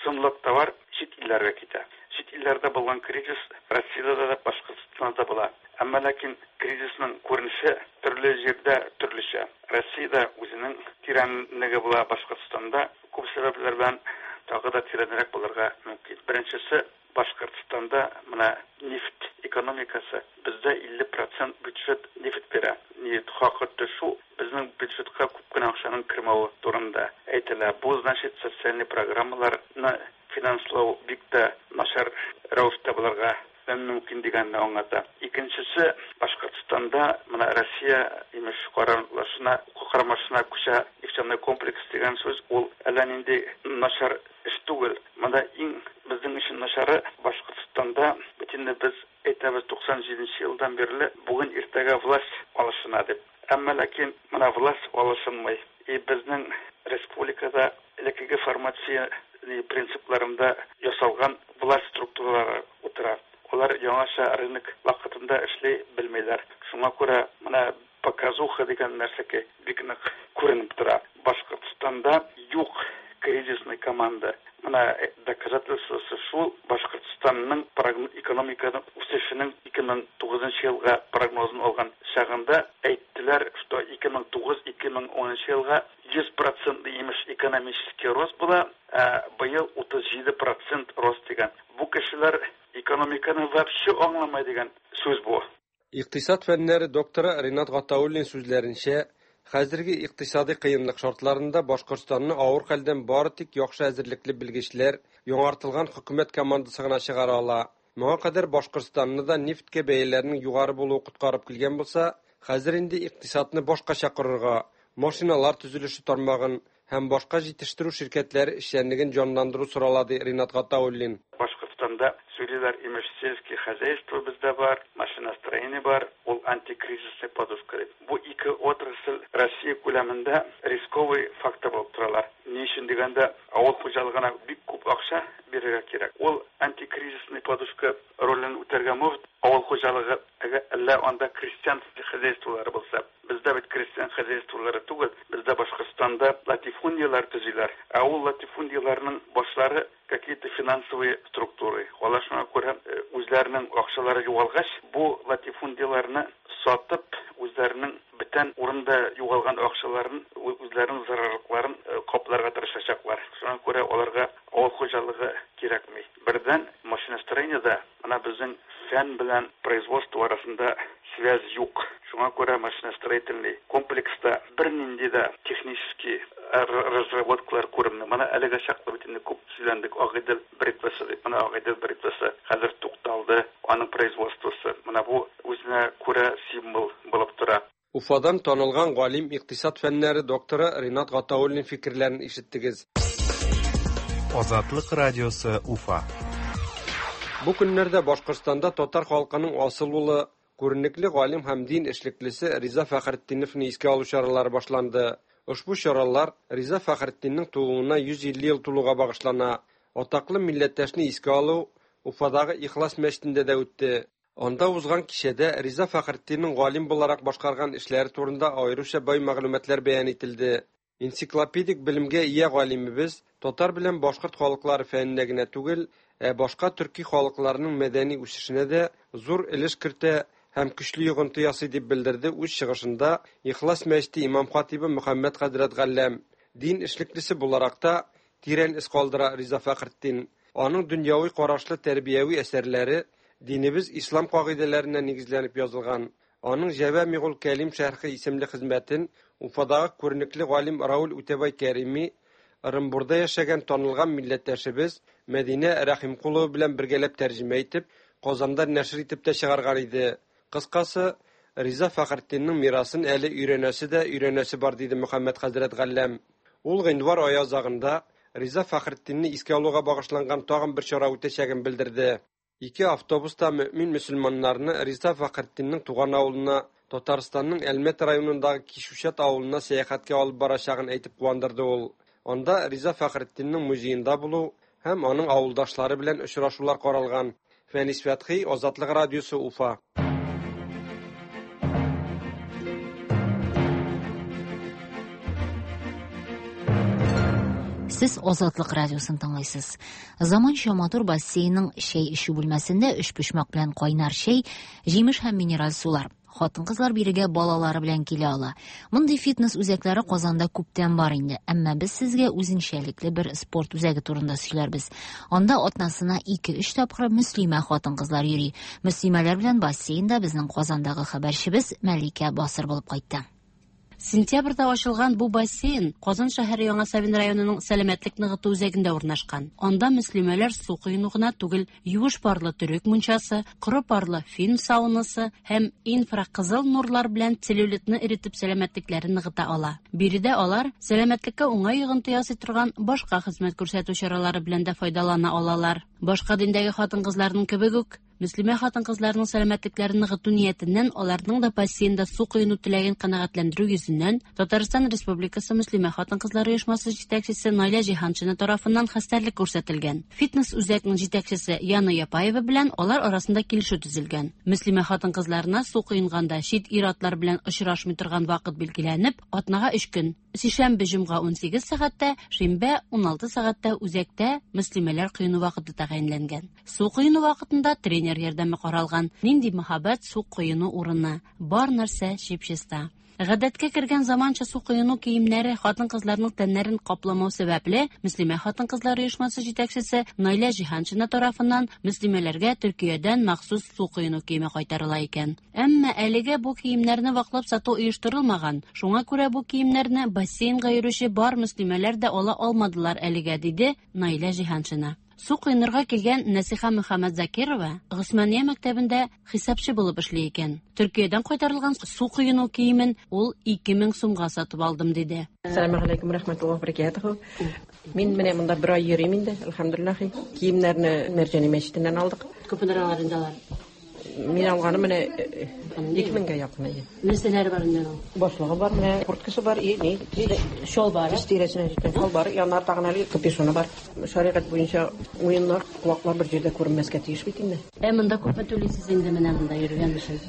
сумлык товар чит илләргә китә. Чит илләрдә булган кризис Россиядә дә, Башкортстанда да була. Әмма ләкин кризисның күренеше төрле җирдә төрлечә. Россиядә үзенең тирәнлеге була, Башкортстанда күп сәбәпләр белән тагы да тирәнрәк булырга мөмкин. Беренчесе, Башкортстанда менә нефть экономикасы бездә илле процент бюджет нефть бирә. Нефть хакы төшү безнең бюджетка күп кенә акчаның кермәве турында әйтелә. Бу значит социальный программаларны финанслау бик тә начар рәвештә булырга мөмкин дигәнне аңлата. Икенчесе, Башкортстанда менә Россия имеш карамашына, карамашына күчә нефтяной комплекс дигән сүз ул әллә нинди начар эш түгел. Монда иң безнең өчен начары Башкортстанда бит инде без әйтәбез туксан җиденче елдан бирле бүген иртәгә власть алышына дип. Әмма ләкин менә власть алышынмый. И безнең республикада элеккеге формация принципларында ясалган власть структуралары утыра. Алар яңача рынок вакытында эшли белмиләр. Шуңа күрә менә показуха дигән нәрсәгә бик нык күренеп тора. Башкортстанда юк кризисный команда. Менә доказательствосы шул Башкортстанның экономиканың үсешенең ике мең тугызынчы елга прогнозын алган чагында әйттеләр, что ике мең тугыз-ике мең унынчы елга йөз процент имеш экономический рост була, ә быел утыз җиде процент рост дигән. Бу кешеләр экономиканы вообще аңламай дигән сүз бу. Икътисад фәннәре докторы Ринат Гатауллин сүзләренчә, хәзерге икътисади кыенлык шартларында Башкортстанны авыр хәлдән бары тик яхшы әзерлекле белгечләр, яңартылган хөкүмәт командасы гына чыгара ала. Моңа кадәр Башкортстанны да нефтькә бәяләрнең югары булуы коткарып килгән булса, хәзер инде икътисадны башкача корырга, машиналар төзелеше тармагын һәм башка җитештерү ширкәтләре эшчәнлеген җанландыру сорала, ди Ринат Гатауллин. Башкортстанда сөйлиләр имеш сельское хозяйство бездә бар, машиностроение бар, ул антикризисный подушка дип. Бу ике отрасль Россия күләмендә рисковый фактор булып торалар. Ни өчен дигәндә, авыл хуҗалыгына бик күп акча бирергә кирәк. Ул антикризисный подушка ролен үтәргә мөмкин. Авыл хуҗалыгы әллә анда крестьян хозяйстволары булса, бездә бит крестьян хозяйстволары түгел, бездә Башкортстанда латифундиялар төзиләр. Ә ул латифундияларның башлары какие-то финансовые структуры. Алар шуңа күрә үзләренең акчалары югалгач, бу латифундияларны сатып, үзләренең бүтән урында югалган акчаларын, үзләренең зарарлыкларын капларга тырышачаклар. Шуңа күрә аларга авыл хуҗалыгы кирәкми. Бердән машиностроениедә менә безнең фән белән производство арасында связь юк. Шуңа күрә машиностроительный комплекста бернинди дә технический разработкалар күренми. Менә әлегә чаклы бит инде күп сөйләндек Агыйдел бритвасы дип. Менә Агыйдел бритвасы хәзер тукталды, аның производствосы. Менә бу үзенә күрә символ булып тора. Уфадан танылган галим, икътисад фәннәре докторы Ринат Гатауллин фикерләрен ишеттегез. Азатлык радиосы Уфа. Бу көннәрдә Башкортстанда татар халкының асыл улы, күренекле галим һәм дин эшлеклесе Риза Фәхретдиновны искә алу чаралары башланды. Ошбу чаралар Риза Фәхретдиннең тууына йөз илле ел тулуга багышлана. Атаклы милләттәшне искә алу Уфадагы Ихлас мәчетендә дә үтте. Анда узган кичәдә Риза Фәхретдиннең галим буларак башкарган эшләре турында аеруча бай мәгълүматлар бәян ителде. Энциклопедик белемгә ия галимебез татар белән башкорт халыклары фәненә генә түгел, ә башка төрки халыкларының мәдәни үсешенә дә зур өлеш кертә һәм көчле йогынты ясый дип белдерде үз чыгышында Ихлас мәчете имам хатибы Мөхәммәд хәзрәт Галләм. Дин эшлеклесе буларак та тирән эз калдыра Риза Фәхретдин. Аның дөньяви карашлы тәрбияви әсәрләре динебез ислам кагыйдәләренә нигезләнеп язылган. Аның Җәвамигул Кәлим шәрхе исемле хезмәтен Уфадагы күренекле галим Раул Үтәбай Кәрими Ырымбурда яшәгән танылган милләттәшебез Мәдинә Рәхимкулова белән бергәләп тәрҗемә итеп, Казанда нәшер итеп тә чыгарган иде. Кыскасы, Риза Фәхретдиннең мирасын әле өйрәнәсе дә өйрәнәсе бар, диде Мөхәммәд хәзрәт Галләм. Ул гыйнвар ае азагында Риза Фәхретдинне искә алуга багышланган тагын бер чара үтәчәген белдерде. Ике автобуста мөмин мөселманнарны Риза Фәхретдиннең туган авылына, Татарстанның Әлмәт районындагы Кишүшат авылына сәяхәткә алып барачагын әйтеп куандырды ул. Анда Риза Фәхретдиннең музеенда булу һәм аның авылдашлары белән очрашулар каралган. Фәнис Фәтхи, Азатлык радиосы, Уфа. Сез Азатлык радиосын тыңлыйсыз. Заманча матур бассейнның чәй эчү бүлмәсендә өчпочмак белән кайнар чәй, җимеш һәм минераль сулар. Хатын-кызлар бирегә балалары белән килә ала. Мондый фитнес үзәкләре Казанда күптән бар инде. Әмма без сезгә үзенчәлекле бер спорт үзәге турында сөйләрбез. Анда атнасына ике-өч тапкыр мөслимә хатын-кызлар йөри. Мөслимәләр белән бассейнда безнең Казандагы хәбәрчебез Мәликә Басыр булып кайтты. Сентябрьдә ачылган бу бассейн Казан шәһәре Яңа Савин районының сәламәтлек ныгыту үзәгендә урнашкан. Анда мөслимәләр су коену гына түгел, юеш парлы төрек мунчасы, коры парлы фин саунасы һәм инфракызыл нурлар белән целлюлитны эретеп сәламәтлекләрен ныгыта ала. Биредә алар сәламәтлеккә уңай йогынты ясый торган башка хезмәт күрсәтү чаралары белән дә файдалана алалар. Башка диндәге хатын-кызларның кебек үк, мөслимә хатын-кызларның сәламәтлекләрен ныгыту ниятеннән аларның да бассейнда су коену теләген канәгатьләндерү йөзеннән Татарстан Республикасы мөслимә хатын-кызлар оешмасы җитәкчесе Наилә Җиһаншина тарафыннан хәстәрлек күрсәтелгән. Фитнес үзәкнең җитәкчесе Яна Япаева белән алар арасында килешү төзелгән. Мөслимә хатын-кызларына су коенганда чит ир-атлар белән очрашмый торган вакыт билгеләнеп, атнага өч көн: сишәмбе, җомга ун сигез сәгатьтә, шимбә ун алты сәгатьтә үзәктә мөслимәләр коену вакыты тәгаенләнгән. Су коену вакытында тренер ярдәме каралган. Нинди мәһабәт су коену урыны! Бар нәрсә чип-чиста. Гадәткә кергән заманча су коену киемнәре хатын-кызларның тәннәрен капламау сәбәпле, мөслимә хатын-кызлар оешмасы җитәкчесе Наилә Җиһаншина тарафыннан мөслимәләргә Төркиядән махсус су коену киеме кайтарыла икән. Әмма әлегә бу киемнәрне ваклап сату оештырылмаган. Шуңа күрә бу киемнәрне бассейнга йөрүче бар мөслимәләр дә ала алмадылар әлегә, диде Наилә Җиһаншина. Су коенырга килгән Нәсиха Мөхәммәтзакирова Госмания мәктәбендә хисапчы булып эшли икән. Төркиядән кайтарылган су коену киемен ул ике мең сумга сатып алдым, диде. Ассаламу алейкум рахматуллаһи ва баракатуху. Мин менә монда бер ай йөрим инде, әлхәмдүлилләһ. Киемнәрне Мәрҗани мәчетеннән алдык. Күпме алар инде алар? Мин алганым менә ике меңгә якын иде. Нәрсәләре бар инде аның? Башлыгы бар, менә курткасы бар, и ни, шалбары. Тез тирәсенә җиткән шалбары, яннар тагын әле капюшоны бар. Шәригать буенча уеннар, колаклар бер җирдә күренмәскә тиеш бит инде. Ә монда күпме түлисез инде менә монда йөргән өчен?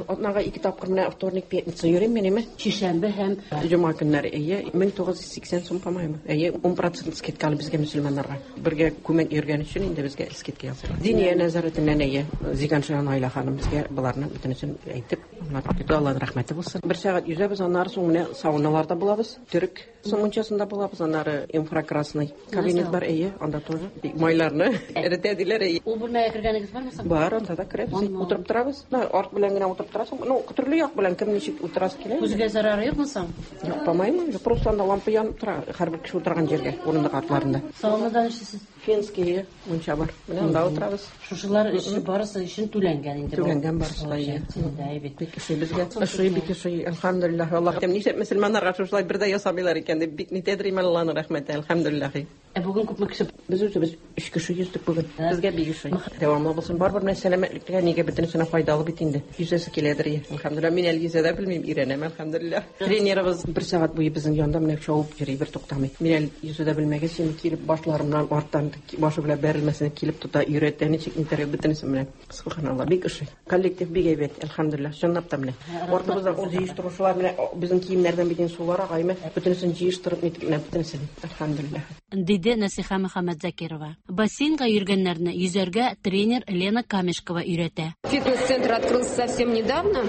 Атнага ике тапкыр менә вторник, пятница йөрим мин, әйме? Шишәмбе һәм җомга көннәре, әйе, мең тугыз йөз сиксән сум, по-моему. Әйе, ун процент скидка әле безгә мөселманнарга. Бергә күмәк йөргән өчен инде безгә скидка ясыйлар. Диния нәзарәтеннән, әйе, Зиганшина Наилә ханым безгә боларны бөтенесен әйтеп, аңлатып китте. Аллаһның рәхмәте булсын. Бер сәгать йөзәбез, аннары соң менә сауналарда булабыз, төрек мунчасында булабыз, аннары инфракрасный кабинет бар, әйе, анда тоже майларны эретә диләр, әйе. Ул бүлмәгә кергәнегез бармы соң? Бар, анда да керәбез. Утырып торабыз. Арт белән генә утырып торасың. Ну, төрле як белән кем ничек утырасы килә. Күзгә зарары юкмы соң? Юк, по-моему, просто анда лампа янып тора, һәрбер кеше утырган җиргә, урындык артларында. Саунада эшлисез? Финский мунча бар. Менә анда утырабыз. Шушылар эше барысы өчен түләнгән инде. Түләнгән барысы да, әйе. Бик ошый безгә. Ошый, бик ошый. Әлхәмдүлилләһ. Аллаһ нишләп мөселманнарга шушылай бер дә ясамыйлар икән дип бик нитәдер имән Аллаһның рәхмәте. Әлхәмдүлилләһ. Ә бүген күпме кеше? Без үзебез өч кеше йөздек бүген. Безгә бик ошый. Дәвамлы булсын. Барыбер менә сәламәтлеккә нигә бөтенесенә файдалы бит инде. Йөзәсе киләдер. Әлхәмдүлилләһ. Мин әле йөзә дә белмим, өйрәнәм, әлхәмдүлилләһ. Тренерыбыз бер сәгать буе безнең янда менә чабып йөри, бер туктамый. Мин әле йөзә дә белмәгәч, инде килеп башларымнан арттан башы белән бәрелмәсен килеп тота, өйрәтә, ничек нитәргә бөтенесе менә. Субханалла, бик ошый. Коллектив бик әйбәт, әлхәмдүлилләһ. Чынлап та менә. Артыбыздан ул җыештыручылар менә безнең киемнәрдән бит инде сулар ага, әйме, бөтенесен җыештырып нитеп менә бөтенесен. Әлхәмдүлилләһ. Диде Нәсиха Мөхәммәтзакирова. Бассейнга йөргәннәрне йөзәргә тренер Лена Камешкова өйрәтә. Фитнес-центр открылся совсем недавно.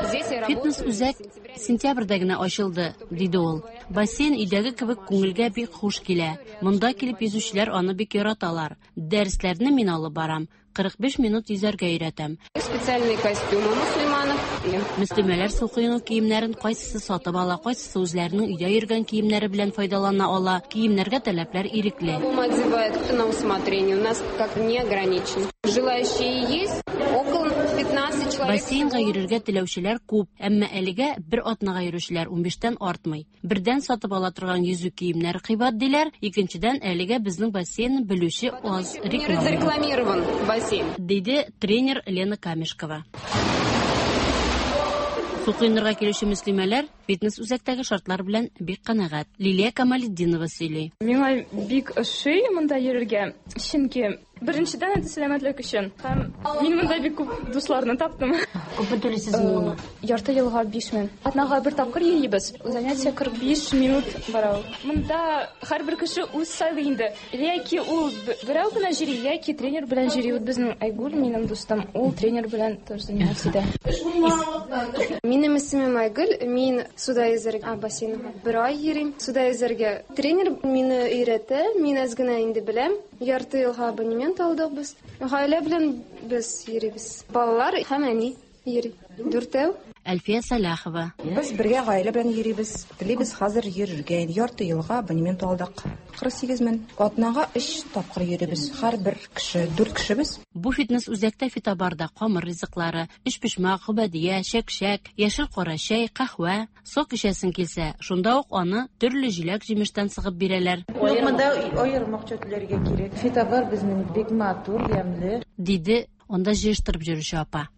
Здесь я работаю. Фитнес-үзәк сентябрьдә генә ачылды, диде ул. Бассейн өйдәге кебек күңелгә бик хуш килә. Монда килеп йөзүчеләр аны бик яраталар. Дәресләрне мин алып барам. кырык биш минут йөзәргә өйрәтәм. Специальные костюмы мусульманов. Мөслимәләр су коену киемнәрен кайсысы сатып ала, кайсысы үзләренең өйдә йөргән киемнәре белән файдалана ала. Киемнәргә таләпләр ирекле. Одевают на усмотрение. У нас как не ограничен. Желающие есть около пятнадцать человек. Бассейнга йөрергә теләүчеләр күп, әмма әлегә бер атнага йөрүчеләр унбиштән артмый. Бердән сатып ала торган йөзү киемнәре кыйбат диләр, икенчедән әлегә безнең бассейнны белүче аз. Рекламирован бассейн, диде тренер Лена Камешкова. Су коенырга килүче мөслимәләр фитнес үзәктәге шартлар белән бик канәгать. Лилия Камалетдинова сөйли. Миңа бик ошый монда йөрергә, чөнки беренчедән это сәламәтлек өчен. Һәм мин монда бик күп дусларны таптым. Күпме түлисез моңа? Ярты елга биш мең. Атнага бер тапкыр йөрибез. Занятие кырык биш минут бара ул. Монда һәрбер кеше үз сайлый инде. Яки ул берәү генә йөри, яки тренер белән йөри. Вот безнең Айгүл, минем дустым, ул тренер белән тоже занимается итә. Минем исемем Айгөл, мин суда йөзәргә бассейнга бер ай йөрим. Суда йөзәргә тренер мине өйрәтә, мин әз генә инде беләм. Ярты елга абонемент алдык без. Гаилә белән без йөрибез. Балалар һәм әни йөри. Дүртәү. Әлфия Сәлахова. Без бергә гаилә белән йөрибез. Телибез хәзер йөрергә. Ярты елга абонемент алдык. кырык сигез мең. Атнага өч тапкыр йөрибез. Һәрбер кеше, дүрт кешебез. Бу фитнес үзәктә фитобарда камыр ризыклары, өчпочмак, гөбәдия, чәк-чәк, яшел кара чәй, каһвә, сок эчәсең килсә, шунда ук аны төрле җиләк-җимештән сыгып бирәләр. Монда аерым акча түләргә кирәк. Фитобар безнең бик матур, ямьле, диде анда җыештырып йөрүче апа.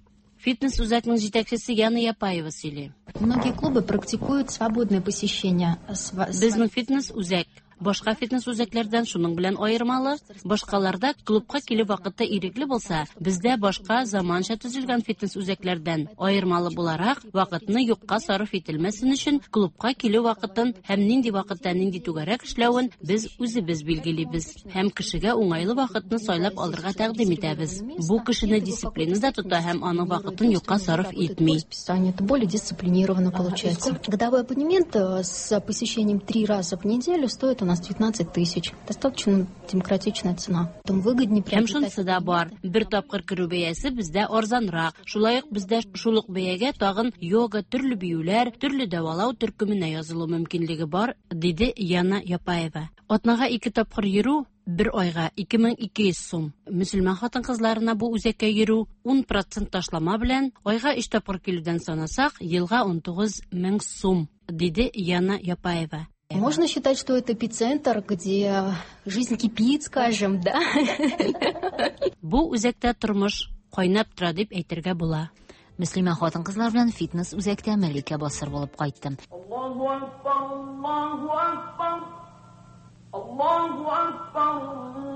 Фитнес үзәкнең җитәкчесе Яна Япаева сөйли. Многие клубы практикуют свободное посещение. Безнең фитнес үзәк башка фитнес үзәкләрдән шуның белән аермалы. Башкаларда клубка килү вакыты ирекле булса, бездә башка заманча төзелгән фитнес үзәкләрдән аермалы буларак, вакытны юкка сарыф ителмәсен өчен клубка килү вакытын һәм нинди вакытта нинди түгәрәк эшләвен без үзебез билгелибез һәм кешегә уңайлы вакытны сайлап алырга тәкъдим итәбез. Бу кешене дисциплинада тота һәм аның вакытын юкка сарыф итми. Это более дисциплинированно получается. Годовой абонемент с посещением три раза в неделю стоит у нас девятнадцать тысяч. Достаточно демократичная цена. Потом выгоднее Һәм шунысы да бар. Бер тапкыр керү бәясе бездә арзанрак. Шулай ук бездә шул ук бәягә тагын йога, төрле биюләр, төрле дәвалау төркеменә язылу мөмкинлеге бар, диде Яна Япаева. Атнага ике тапкыр йөрү бер айга ике мең ике йөз сум. Мөселман хатын-кызларына бу үзәккә йөрү ун процент ташлама белән айга өч тапкыр килүдән санасак, елга ун тугыз мең сум, диде Яна Япаева. Можно считать, что это эпицентр, где жизнь кипит, скажем, да? Бу үзәктә тормыш кайнап тора дип әйтергә була. Мөслимә хатын-кызлар белән фитнес үзәктә Мәликә Басыр булып кайтты. Аллаһу акбар, Аллаһу акбар, Аллаһу акбар,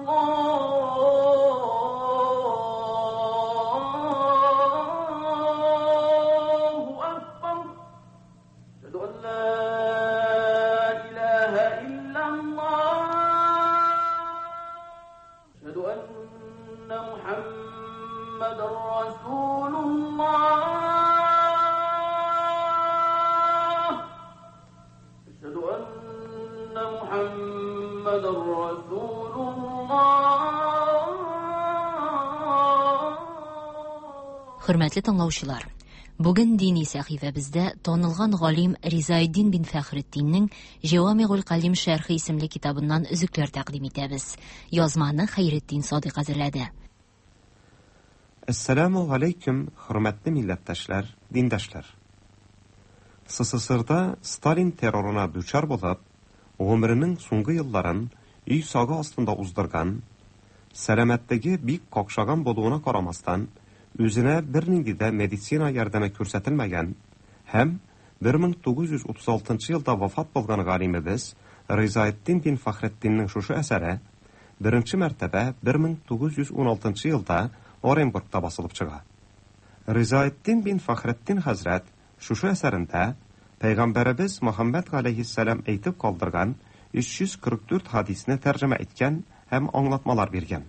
Аллаһу акбар. Әшһәду ан ла илаһа иллаллаһ. Әшһәду анна Мухаммадан расулуллаһ. Әшһәду анна Мухаммадан расулуллаһ. Хөрмәтле тыңлаучылар, бүген дини сәхифәбездә танылган галим Ризаэддин бин Фәхретдиннең Җавамигул Калим шәрхе исемле китабыннан өзекләр тәкъдим итәбез. Язманы Хәйретдин Садыйк әзерләде. Әссәламу алейкум, хөрмәтле милләттәшләр, диндәшләр. СССРда Сталин террорына дучар булып, гомеренең соңгы елларын өй сагы астында уздырган, сәламәтлеге бик какшаган булуына карамастан, үзенә бернинди дә медицина ярдәме күрсәтелмәгән һәм бер мең тугыз йөз утыз алтынчы елда вафат булган галимебез Ризаэддин бин Фәхретдиннең шушы әсәре беренче мәртәбә бер мең тугыз йөз ун алтынчы елда Оренбургта басылып чыга. Ризаэддин бин Фәхретдин хәзрәт шушы әсәрендә Пәйгамбәребез Мөхәммәд галәйһиссәлам әйтеп калдырган өч йөз кырык дүрт хадисне тәрҗемә иткән һәм аңлатмалар биргән.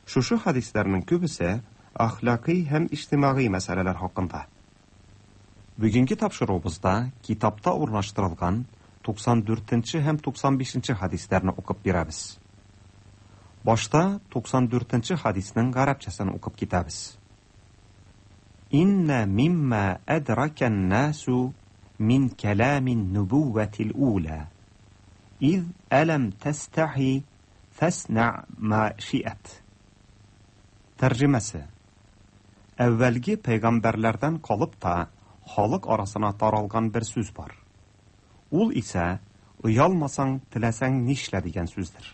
Шушы хадисләрнең күбесе әхлакый һәм иҗтимагый мәсьәләләр хакында. Бүгенге тапшыруыбызда китапта урнаштырылган туксан дүртенче һәм туксан бишенче хадисләрне укып бирәбез. Башта туксан дүртенче хадисның гарәпчәсен укып китәбез. Инна мимма әдракән насу мин кәламин нубувватил ула. Из әләм тәстәхи фәснә ма шиәт. Тәрҗемәсе: Әүвәлге пәйгамбәрләрдән калып та халык арасына таралган бер сүз бар. Ул исә оялмасаң, теләсәң нишлә дигән сүздер.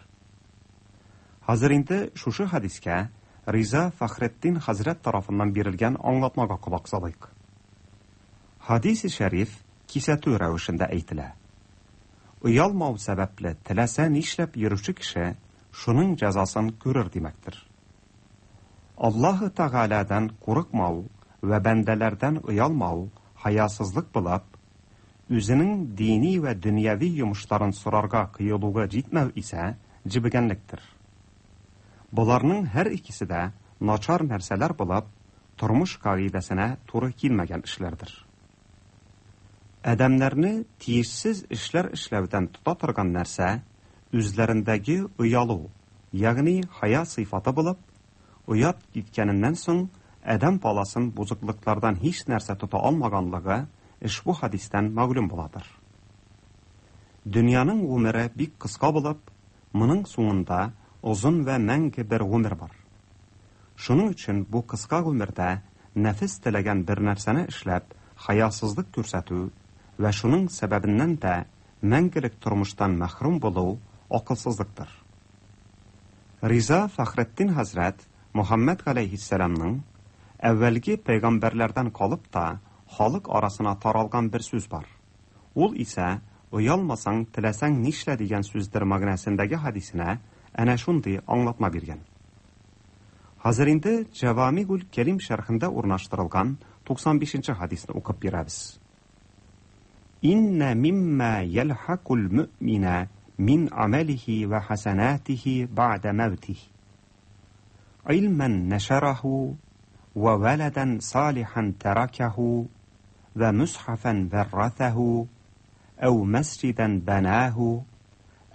Хәзер инде шушы хадискә Риза Фәхретдин хәзрәт тарафыннан бирелгән аңлатмага колак салыйк. Хадис-и шәриф кисәтү рәвешендә әйтелә. Оялмау сәбәпле теләсә нишләп йөрүче кеше шуның җәзасын күрер димәктер. Аллаһы Тәгаләдән курыкмау вә бәндәләрдән оялмау хаясызлык булып, үзенең дини вә дөньяви йомышларын сорарга кыюлыгы җитмәү исә җебегәнлектер. Боларның һәр икесе дә начар нәрсәләр булып, тормыш кагыйдәсенә туры килмәгән эшләрдер. Адәмнәрне тиешсез эшләр эшләүдән тота торган нәрсә үзләрендәге оялу, ягъни хая сыйфаты булып, оят киткәненнән соң адәм баласын бозыклыклардан һич нәрсә тота алмаганлыгы ошбу хадистән мәгълүм буладыр. Дөньяның гомере бик кыска булып, моның соңында озын вә мәңге бер гомер бар. Шуның өчен бу кыска гомердә нәфес теләгән бер нәрсәне эшләп, хаясызлык күрсәтү вә шуның сәбәбеннән дә мәңгелек тормыштан мәхрүм булу акылсызлыктыр. Риза Фәхретдин хәзрәт Мөхәммәд галәйһиссәламның әүвәлге пәйгамбәрләрдән калып та халык арасына таралган бер сүз бар. Ул исә оялмасаң, теләсәң нишлә дигән сүздер мәгънәсендәге хадисенә әнә шундый аңлатма биргән. Хәзер инде Җавамигул Кәрим шәрхендә урнаштырылган туксан бишенче хадисне укып бирәбез. Инна мимма ялхакул мөмина мин амалихи ва хасанатихи ба'да мәүтих. Илман нашараху ва валадан салихан таракаху ва мусхафан варратаху أو مسجدا بناه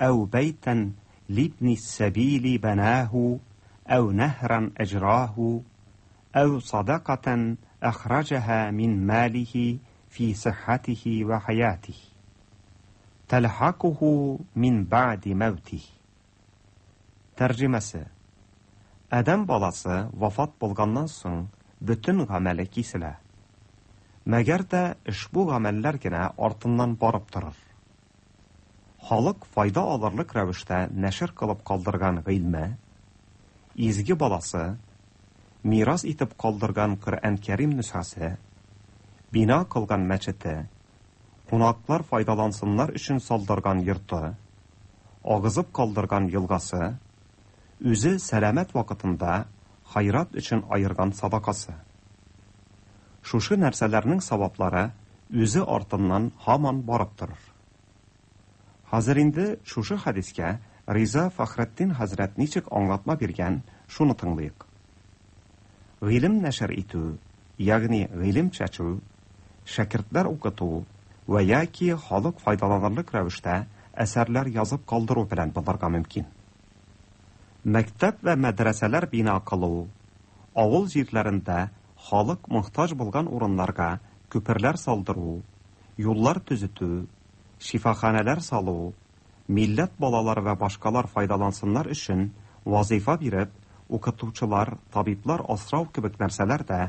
أو بيتا لابن السبيل بناه أو نهرا أجراه أو صدقة أخرجها من ماله في صحته وحياته تلحقه من بعد موته. Тәрҗемәсе: Адәм баласы вафат булганнан соң бөтен гамәле киселә. Мәгәр дә ошбу гамәлләр генә артыннан барып торыр. Халык файда алырлык рәвештә нәшер кылып калдырган гыйльме, изге баласы, мирас итеп калдырган Коръән Кәрим нөсхәсе, бина кылган мәчете, кунаклар файдалансыннар өчен салдырган йорты, агызып калдырган елгасы, үзе сәламәт вакытында хайрат өчен аерган садакасы. Шушы нәрсәләрнең саваплары үзе артыннан һаман барып торыр. Хәзер инде шушы хадискә Риза Фәхретдин хәзрәт ничек аңлатма биргән, шуны тыңлыйк. Гыйлем нәшер итү, ягъни гыйлем чәчү, шәкертләр укыту вә яки халык файдаланырлык рәвештә әсәрләр язып калдыру белән булырга мөмкин. Мәктәп вә мәдрәсәләр бина кылу, авыл җирләрендә халык мохтаҗ булган урыннарга күперләр салдыру, юллар төзетү, шифаханәләр салу, милләт балалары вә башкалар файдалансыннар өчен вазифа биреп, укытучылар, табиблар асрау кебек нәрсәләр дә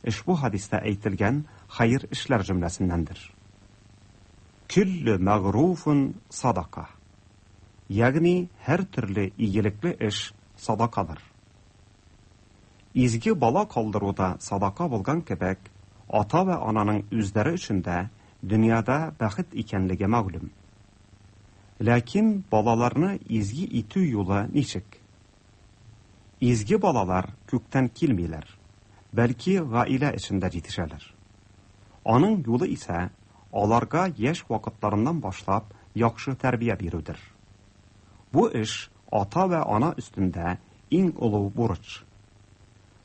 ошбу хадистә әйтелгән хәер эшләр җөмләсеннәндер. Күлле мәгъруфун садака. Ягъни һәр төрле игелекле эш садакадыр. Изге бала калдыруда садака булган кебек, ата вә ананың үзләре өчен дә дөньяда бәхет икәнлеге мәгълүм. Ләкин балаларны изге итү юлы ничек? Изге балалар күктән килмиләр, бәлки гаилә эчендә җитешәләр. Аның юлы исә аларга яшь вакытларыннан башлап яхшы тәрбия бирүдер. Бу эш ата вә ана өстендә иң олы бурыч.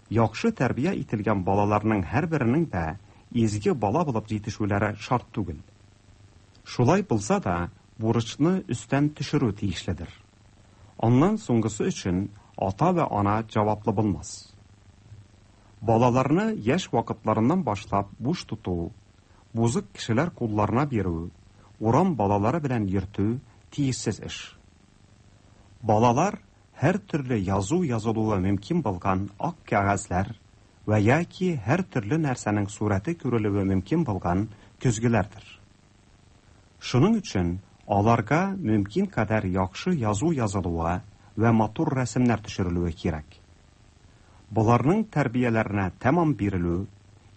Яхшы тәрбия ителгән балаларның һәрберенең дә изге бала булып җитешүләре шарт түгел. Шулай булса да, бурычны өстән төшерү тиешледер. Аннан соңгысы өчен ата вә ана җаваплы булмас. Балаларны яшь вакытларыннан башлап буш тоту, бузык кешеләр кулларына бирү, урам балалары белән йөртү тиешсез эш. Балалар һәр төрле язу язылуы мөмкин булган ак кәгазьләр вә яки һәр төрле нәрсәнең сурәте күрелүе мөмкин булган көзгеләрдер. Шуның өчен аларга мөмкин кадәр яхшы язу язылуы вә матур рәсемнәр төшерелүе кирәк. Боларның тәрбияләренә тәмам бирелү,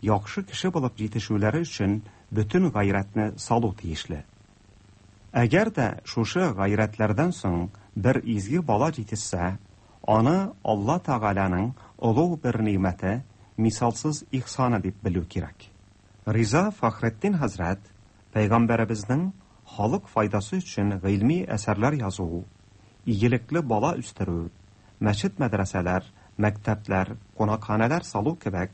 яхшы кеше булып җитешүләре өчен бөтен гайрәтне салу тиешле. Әгәр дә шушы гайрәтләрдән соң бер изге бала җитешсә, аны Алла Тәгаләнең олуг бер нимәте, мисалсыз ихсаны дип белү кирәк. Риза Фәхретдин хәзрәт пәйгамбәребезнең халык файдасы өчен гыйльми әсәрләр язу, игелекле бала үстерү, мәчет-мәдрәсәләр, мәктәпләр, кунакханәләр салу кебек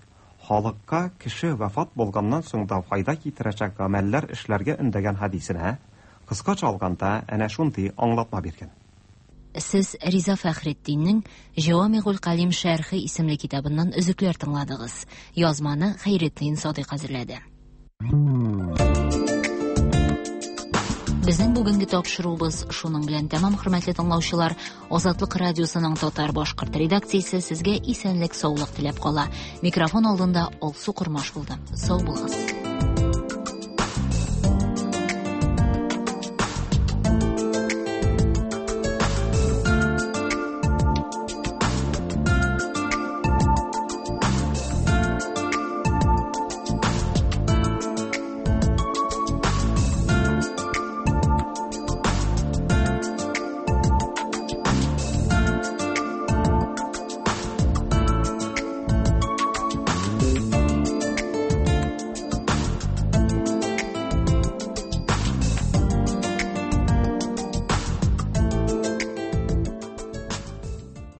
халыкка кеше вафат булганнан соң да файда китерәчәк гамәлләр эшләргә өндәгән хәдисенә кыскача алганда әнә шундый аңлатма биргән. Сез Риза Фәхретдиннең Җавамигул Калим шәрхе исемле китабыннан өзекләр тыңладыгыз. Язманы Хәйретдин Садыйк әзерләде. Безнең бүгенге тапшыруыбыз шуның белән тәмам, хөрмәтле тыңлаучылар. Азатлык радиосының татар башкорт редакциясе сезгә исәнлек, саулык теләп кала. Микрофон алдында Алсу Кормаш булды. Сау булыгыз.